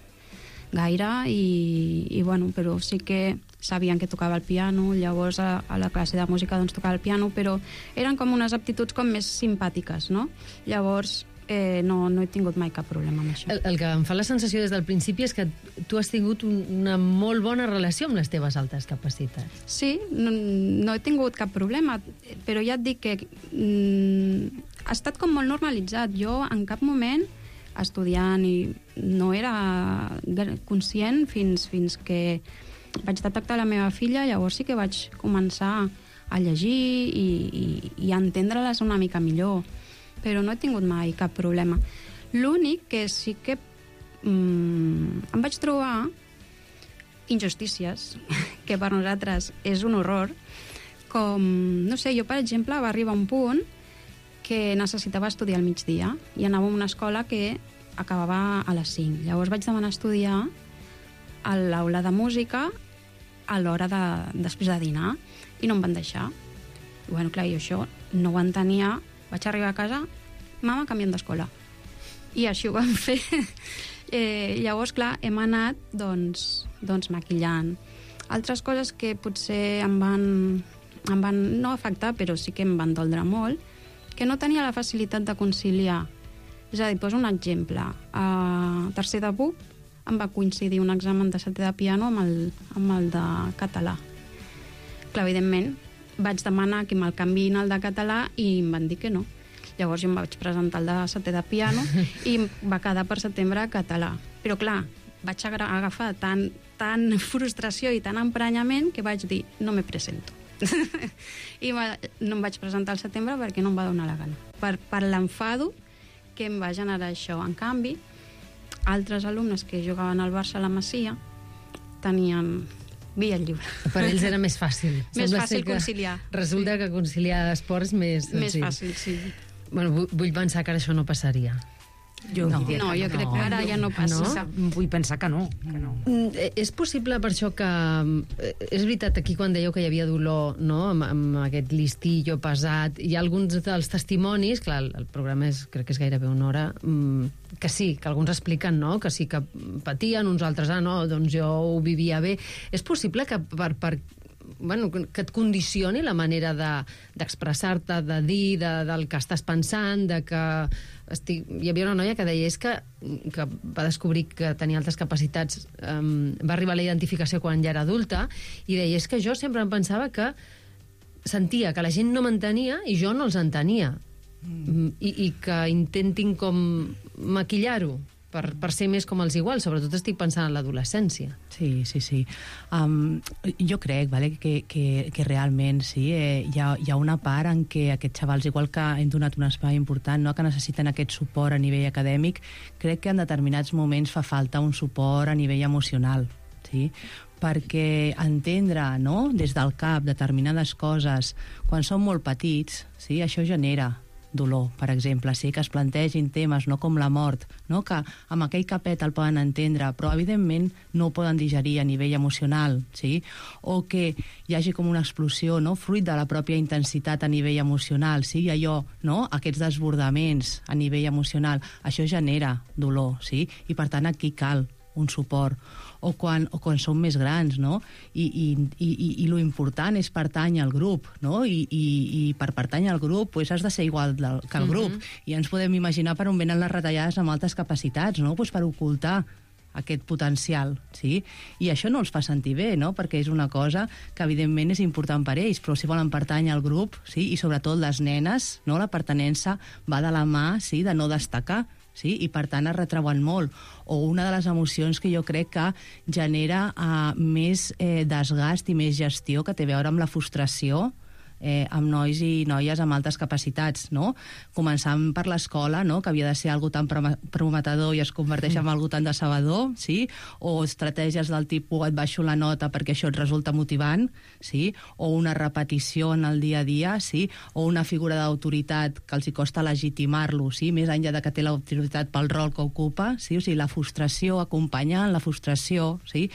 gaire, i bueno, però sí que sabien que tocava el piano, llavors a la classe de música doncs tocava el piano, però eren com unes aptituds com més simpàtiques, no? Llavors no he tingut mai cap problema amb això. El que em fa la sensació des del principi és que tu has tingut una molt bona relació amb les teves altes capacitats. Sí, no he tingut cap problema, però ja et dic que ha estat com molt normalitzat. Jo en cap moment estudiant i no era conscient fins que vaig detectar la meva filla, llavors sí que vaig començar a llegir i a entendre-les una mica millor, però no he tingut mai cap problema. L'únic que sí que em vaig trobar injustícies, que per nosaltres és un horror, com, no sé, jo per exemple va arribar un punt que necessitava estudiar al migdia i anava a una escola que acabava a les 5. Llavors vaig demanar estudiar a l'aula de música a l'hora després de dinar i no em van deixar. I, bueno, clar, jo això no ho entenia. Vaig arribar a casa, mama, canviem d'escola. I així ho vam fer. Llavors, clar, hem anat doncs maquillant. Altres coses que potser em van no afectar, però sí que em van doldre molt, que no tenia la facilitat de conciliar. És a dir, poso un exemple. A tercer de BUP em va coincidir un examen de setè de piano amb el de català. Clar, evidentment, vaig demanar que me'l canviïn al de català i em van dir que no. Llavors jo em vaig presentar el de setè de piano i va quedar per setembre català. Però clar, vaig agafar tant frustració i tant emprenyament que vaig dir, no me presento. I no em vaig presentar al setembre perquè no em va donar la gana. Per l'enfado que em va generar això. En canvi, altres alumnes que jugaven al Barça a la Masia tenien via lliure. Per ells era més fàcil. Més fàcil conciliar. Resulta que conciliar esports més senzill. Més fàcil, sí. Bueno, vull pensar que ara això no passaria. Jo crec que ara ja no passa. Vull pensar que no. És possible per això que... És veritat, aquí quan dèieu que hi havia dolor, no?, amb aquest listillo pesat, hi ha alguns dels testimonis, clar, el programa crec que és gairebé una hora, que sí, que alguns expliquen, no?, que sí que patien, uns altres, no, doncs jo ho vivia bé. És possible que que et condicioni la manera d'expressar-te, de dir, del que estàs pensant, de que... Hi havia una noia que deia que va descobrir que tenia altres capacitats, va arribar a la identificació quan ja era adulta, i deia, és que jo sempre em pensava que sentia que la gent no m'entenia i jo no els entenia, i que intentin com maquillar-ho per ser més com els iguals. Sobretot estic pensant en l'adolescència. Sí. Jo crec que realment sí, hi ha una part en què aquests xavals, igual que hem donat un espai important, no, que necessiten aquest suport a nivell acadèmic, crec que en determinats moments fa falta un suport a nivell emocional, sí? Perquè entendre, no, des del cap determinades coses quan són molt petits, sí, això genera dolor, per exemple, sí, que es plantegin temes, no, com la mort, no, que amb aquell capet el poden entendre, però evidentment no ho poden digerir a nivell emocional, sí? O que hi hagi com una explosió, no, fruit de la pròpia intensitat a nivell emocional, sí? I allò, no, aquests desbordaments a nivell emocional, això genera dolor, sí? I per tant aquí cal un suport. O quan som més grans, no? I lo important és pertany al grup, no? I per pertany al grup pues has de ser igual que el grup. I ens podem imaginar per on venen les retallades amb altes capacitats, no? Pues per ocultar aquest potencial, sí? I això no els fa sentir bé, no? Perquè és una cosa que evidentment és important per ells, però si volen pertany al grup, sí? I sobretot les nenes, no? La pertinença va de la mà, sí? De no destacar, sí? I per tant es retreuen molt. O una de les emocions que jo crec que genera més desgast i més gestió, que té a veure amb la frustració amb nois i noies amb altes capacitats, no? Començant per l'escola, no?, que havia de ser algo tan prometedor i es converteix en algo tan decebedor, sí? O estratègies del tipus et baixo la nota perquè això et resulta motivant, sí? O una repetició en el dia a dia, sí? O una figura d'autoritat que els hi costa legitimar-lo, sí? Més enllà de que té l'autoritat pel rol que ocupa, sí? O sigui, la frustració, acompanyant la frustració, sí?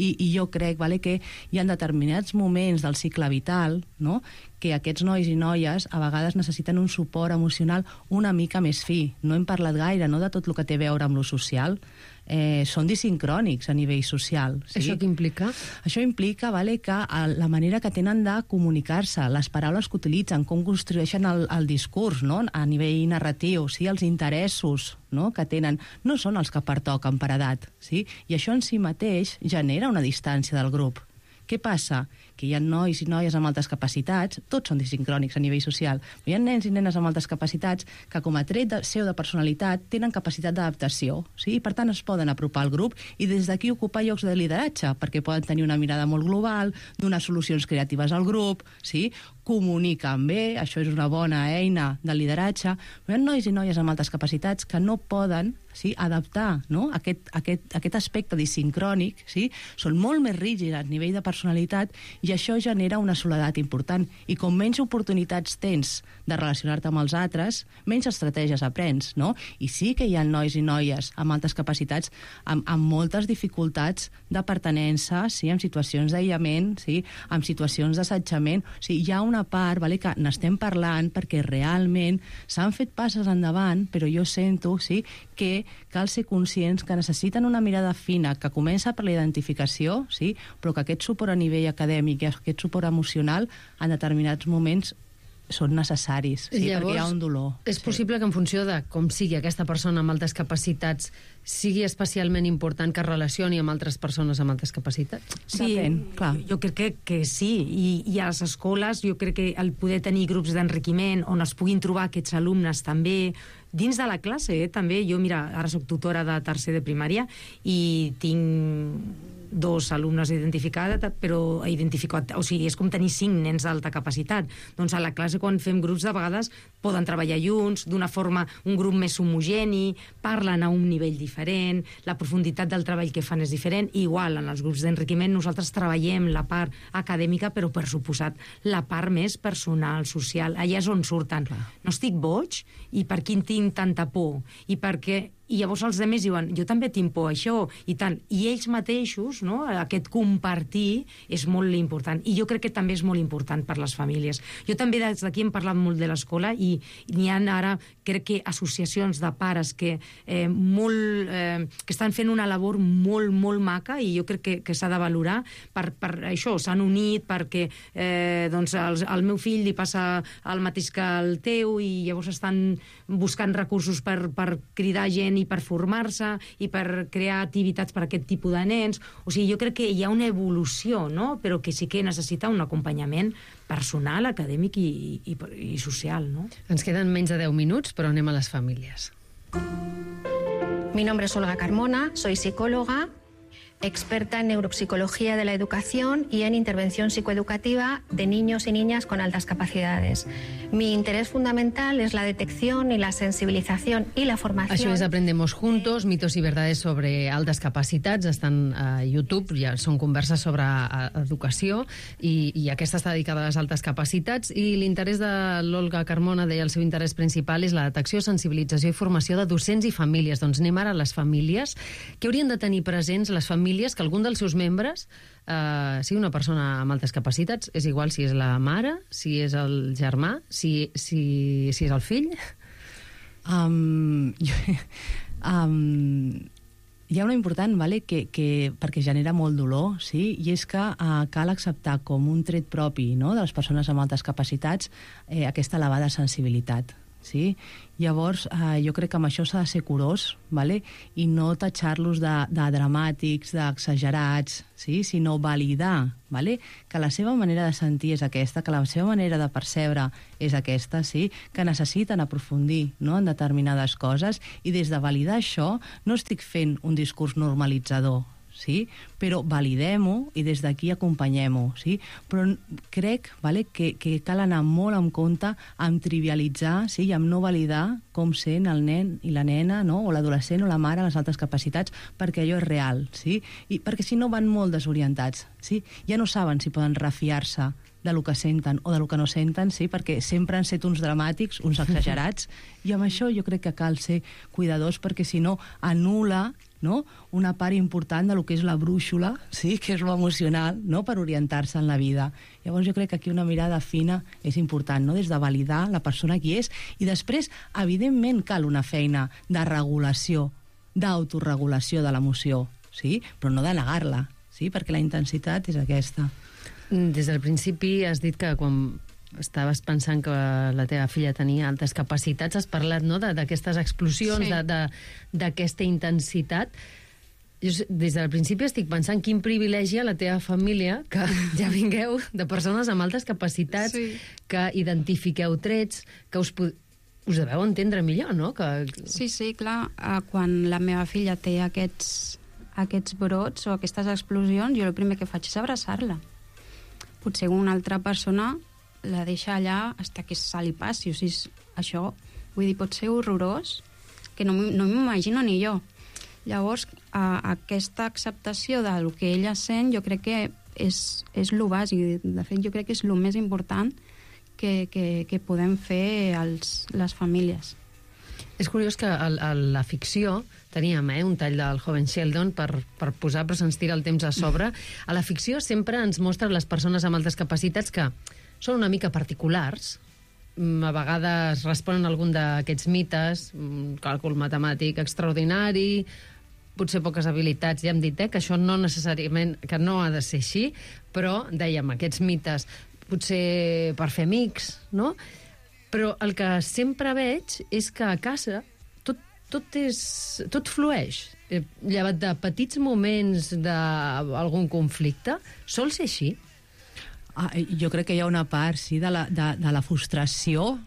I jo crec, que hi ha determinats moments del cicle vital, no?, que aquests nois i noies a vegades necessiten un suport emocional una mica més fi. No hem parlat gaire, no?, de tot el que té a veure amb lo social. Són disincrònics a nivell social. Sí? Això què implica? Això implica que la manera que tenen de comunicar-se, les paraules que utilitzen, com construeixen el discurs, no?, a nivell narratiu, sí? Els interessos, no?, que tenen, no són els que pertoquen per edat. Sí? I això en si mateix genera una distància del grup. Què passa? Que hi ha nois i noies amb altes capacitats, tots són disincrònics a nivell social, però hi ha nens i nenes amb altes capacitats que com a tret seu de personalitat tenen capacitat d'adaptació, sí? I per tant es poden apropar al grup i des d'aquí ocupar llocs de lideratge, perquè poden tenir una mirada molt global, donar solucions creatives al grup, sí? Comuniquen bé, això és una bona eina de lideratge, però hi ha nois i noies amb altes capacitats que no poden, sí, adaptar, no?, aquest aspecte disincrònic, sí? Són molt més rígids a nivell de personalitat i això genera una soledat important. I com menys oportunitats tens de relacionar-te amb els altres, menys estratègies aprens, no? I sí que hi ha nois i noies amb altes capacitats, amb moltes dificultats de pertinença, sí? Amb situacions d'aïllament, sí? Amb situacions d'assetjament. O sigui, hi ha una part, que n'estem parlant perquè realment s'han fet passes endavant, però jo sento, sí, que cal ser conscients que necessiten una mirada fina que comença per la identificació, sí? Però que aquest suport a nivell acadèmic i aquest suport emocional en determinats moments són necessaris, sí? Llavors, perquè hi ha un dolor. És possible que en funció de com sigui aquesta persona amb altes capacitats sigui especialment important que es relacioni amb altres persones amb altes capacitats? Sí, clar. Jo crec que sí. I a les escoles jo crec que el poder tenir grups d'enriquiment on es puguin trobar aquests alumnes també dins de la classe, també. Jo, mira, ara soc tutora de tercer de primària i tinc 2 alumnes identificats, però o sigui, és com tenir 5 nens d'alta capacitat. Doncs a la classe, quan fem grups, de vegades poden treballar junts, d'una forma, un grup més homogeni, parlen a un nivell diferent, la profunditat del treball que fan és diferent. Igual, en els grups d'enriquiment nosaltres treballem la part acadèmica, però per suposat la part més personal, social. Allà és on surten. No estic boig, i per quin tinc tanta por, i per què I llavors els altres diuen, jo també tinc por això, i tant. I ells mateixos, no? Aquest compartir és molt important. I jo crec que també és molt important per les famílies. Jo també des d'aquí hem parlat molt de l'escola i n'hi ha ara, crec que, associacions de pares que estan fent una labor molt, molt maca i jo crec que s'ha de valorar per això. S'han unit perquè al meu fill li passa el mateix que el teu i llavors estan buscant recursos per cridar gent i per formar-se i per crear activitats per a aquest tipus de nens. O sigui, jo crec que hi ha una evolució, no? Però que sí que necessita un acompanyament personal, acadèmic i social, no? Ens queden menys de 10 minuts, però anem a les famílies. Mi nombre es Olga Carmona, soy psicóloga, experta en neuropsicología de la educación y en intervención psicoeducativa de niños y niñas con altas capacidades. Mi interés fundamental es la detección y la sensibilización y la formación. Això és Aprendemos Juntos, mitos i verdades sobre altes capacitats. Estan a YouTube, ja són converses sobre educació i aquesta està dedicada a les altes capacitats. I l'interès de l'Olga Carmona, deia, el seu interès principal és la detecció, sensibilització i formació de docents i famílies. Doncs anem ara a les famílies. Què haurien de tenir presents les famílies que algun dels seus membres sigui una persona amb altes capacitats? És igual si és la mare, si és el germà, si és el fill? Hi ha una important, perquè genera molt dolor, sí? I és que cal acceptar com un tret propi, no?, de les persones amb altes capacitats aquesta elevada sensibilitat. Sí? Llavors, jo crec que amb això s'ha de ser curós, i no tatxar-los de dramàtics, d'exagerats, sinó validar que la seva manera de sentir és aquesta, que la seva manera de percebre és aquesta, que necessiten aprofundir en determinades coses, i des de validar això no estic fent un discurs normalitzador, però validem-ho i des d'aquí acompanyem-ho. Però crec que cal anar molt en compte amb trivialitzar i amb no validar com sent el nen i la nena, o l'adolescent o la mare a les altes capacitats, perquè allò és real. I perquè si no van molt desorientats. Ja no saben si poden refiar-se del que senten o del que no senten, perquè sempre han set uns dramàtics, uns exagerats, i amb això jo crec que cal ser cuidadors, perquè si no anul·la una part important del que és la brúixola, que és lo emocional, per orientar-se en la vida. Llavors jo crec que aquí una mirada fina és important, des de validar la persona qui és, i després, evidentment, cal una feina de regulació, d'autoregulació de l'emoció, però no de negar-la, perquè la intensitat és aquesta. Des del principi has dit que quan estaves pensant que la teva filla tenia altes capacitats, has parlat d'aquestes explosions, d'aquesta intensitat. Jo des del principi estic pensant quin privilegi a la teva família que ja vingueu de persones amb altes capacitats, que identifiqueu trets, que us deveu entendre millor, no? Sí, clar. Quan la meva filla té aquests brots o aquestes explosions, jo el primer que faig és abraçar-la. Potser una altra persona la deixa allà fins que se li passi. O sigui, això, vull dir, pot ser horrorós, que no m'imagino ni jo. Llavors, aquesta acceptació del que ella sent, jo crec que és el bàsic. De fet, jo crec que és el més important que podem fer les famílies. És curiós que a la ficció teníem un tall del Joven Sheldon per posar, però se'ns tira el temps a sobre. A la ficció sempre ens mostren les persones amb altes capacitats que són una mica particulars, a vegades responen a algun d'aquests mites, càlcul matemàtic extraordinari, potser poques habilitats, ja hem dit que això no necessàriament, que no ha de ser així, però, dèiem, aquests mites, potser per fer amics, no? Però el que sempre veig és que a casa tot flueix. Llevat de petits moments d'algun conflicte, sol ser així? Jo crec que hi ha una part de la frustració,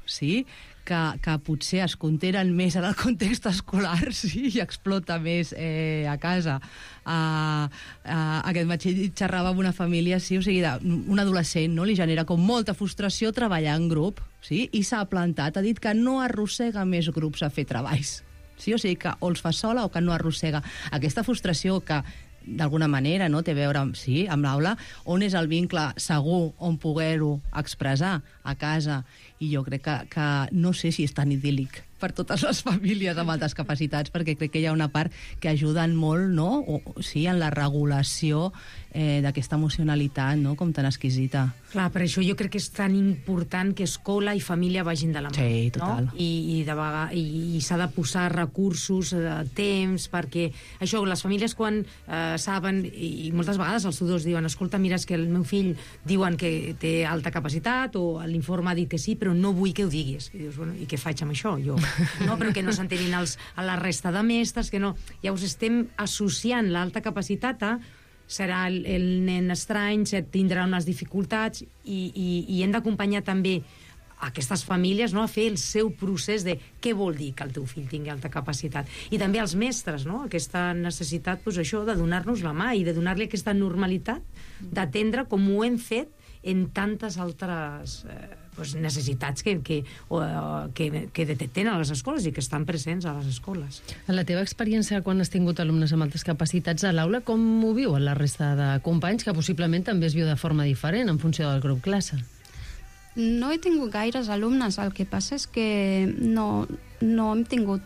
que potser es contenen més en el context escolar i explota més a casa. Aquest matí xerrava amb una família, o sigui, un adolescent li genera com molta frustració treballar en grup, i s'ha plantat, ha dit que no arrossega més grups a fer treballs. O sigui, que o els fa sola o que no arrossega. Aquesta frustració que d'alguna manera té a veure amb l'aula, on és el vincle segur on poder-ho expressar a casa, i jo crec que no sé si és tan idíl·lic per totes les famílies amb altes capacitats, perquè crec que hi ha una part que ajuden molt, no? Sí, en la regulació d'aquesta emocionalitat, no?, com tan exquisita. Clar, per això jo crec que és tan important que escola i família vagin de la mà. Sí, total. No? I s'ha de posar recursos, temps, perquè això, les famílies quan saben, i moltes vegades els tutors diuen, escolta, mira, és que el meu fill diuen que té alta capacitat o l'informe ha dit que sí, però no vull que ho diguis. I dius, bueno, i què faig amb això, jo? No, però que no s'entenin a la resta de mestres, que no... Llavors estem associant l'alta capacitat a serà el nen estrany, tindrà unes dificultats i hem d'acompanyar també aquestes famílies, no?, a fer el seu procés de què vol dir que el teu fill tingui alta capacitat. I també als mestres, no?, aquesta necessitat, doncs això, de donar-nos la mà i de donar-li aquesta normalitat, d'atendre com ho hem fet en tantes altres necessitats que detecten a les escoles i que estan presents a les escoles. En la teva experiència, quan has tingut alumnes amb altes capacitats a l'aula, com ho viuen la resta de companys, que possiblement també es viu de forma diferent en funció del grup classe? No he tingut gaires alumnes, el que passa és que no hem tingut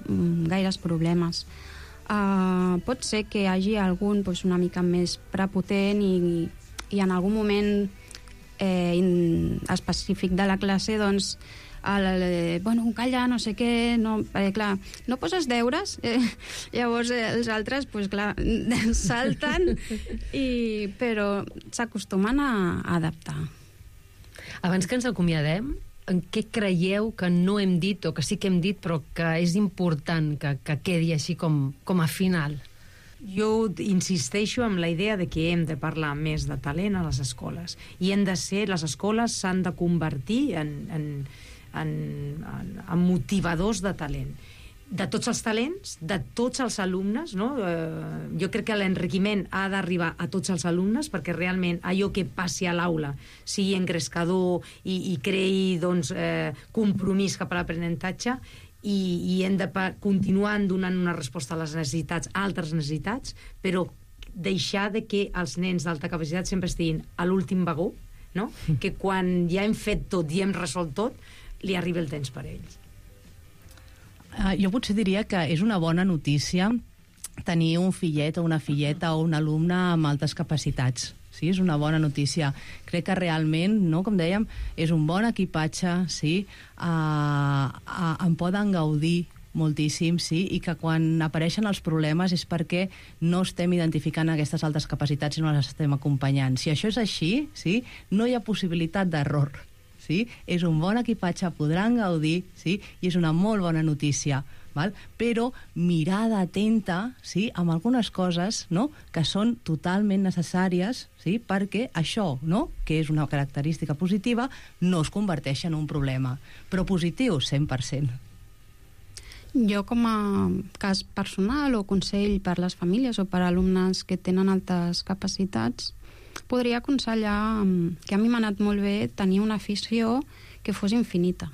gaires problemes. Pot ser que hi hagi algun una mica més prepotent i en algun moment específic de la classe, doncs, calla, no sé què, clar, no poses deures, llavors els altres, clar, salten, però s'acostumen a adaptar. Abans que ens acomiadem, en què creieu que no hem dit o que sí que hem dit però que és important que quedi així com a final? Jo insisteixo en la idea de que hem de parlar més de talent a les escoles i les escoles s'han de convertir en motivadors de talent. De tots els talents, de tots els alumnes, no? Jo crec que l'enriquiment ha d'arribar a tots els alumnes perquè realment allò que passi a l'aula sigui engrescador i creï compromís cap a l'aprenentatge i hem de continuar donant una resposta a les necessitats, a altres necessitats, però deixar de que els nens d'alta capacitat sempre estiguin a l'últim vagó, no? Que quan ja hem fet tot i hem resolt tot, li arriba el temps per a ells. Jo potser diria que és una bona notícia tenir un fillet o una filleta o un alumne amb altes capacitats. Sí, és una bona notícia. Crec que realment, no, com dèiem, és un bon equipatge, sí, en poden gaudir moltíssim, sí, i que quan apareixen els problemes és perquè no estem identificant aquestes altes capacitats i no les estem acompanyant. Si això és així, sí, no hi ha possibilitat d'error. Sí? És un bon equipatge, podran gaudir, sí? I és una molt bona notícia. Val? Però mirada atenta, sí, amb algunes coses, no?, que són totalment necessàries, sí, perquè això, no?, que és una característica positiva, no es converteix en un problema. Però positiu, 100%. Jo, com a cas personal o consell per les famílies o per alumnes que tenen altes capacitats, podria aconsellar que a mi m'ha anat molt bé tenir una afició que fos infinita.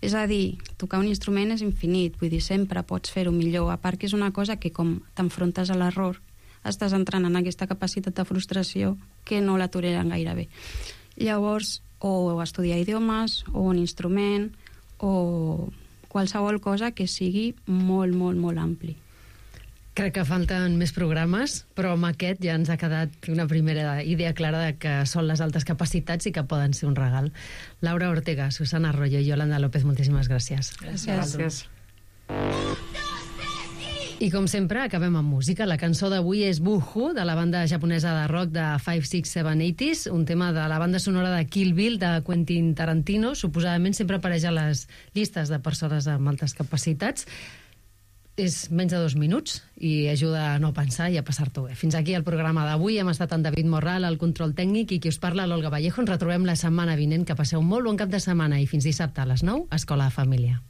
És a dir, tocar un instrument és infinit, vull dir, sempre pots fer-ho millor, a part que és una cosa que com t'enfrontes a l'error, estàs entrant en aquesta capacitat de frustració que no la toleren gaire bé. Llavors, o estudiar idiomes, o un instrument, o qualsevol cosa que sigui molt, molt, molt ampli. Crec que falten més programes, però amb aquest ja ens ha quedat una primera idea clara de que són les altes capacitats i que poden ser un regal. Laura Ortega, Susana Arroyo i Yolanda López, moltíssimes gràcies. Gràcies. I com sempre, acabem amb música. La cançó d'avui és Boohoo, de la banda japonesa de rock de 5, 6, 7, 80s, un tema de la banda sonora de Kill Bill de Quentin Tarantino. Suposadament sempre apareix a les llistes de persones amb altes capacitats. És menys de 2 minuts i ajuda a no pensar i a passar-t'ho bé. Fins aquí el programa d'avui. Hem estat en David Morral, al control tècnic, i qui us parla, l'Olga Vallejo. Ens retrobem la setmana vinent. Que passeu un molt bon cap de setmana i fins dissabte a les 9, Escola de Família.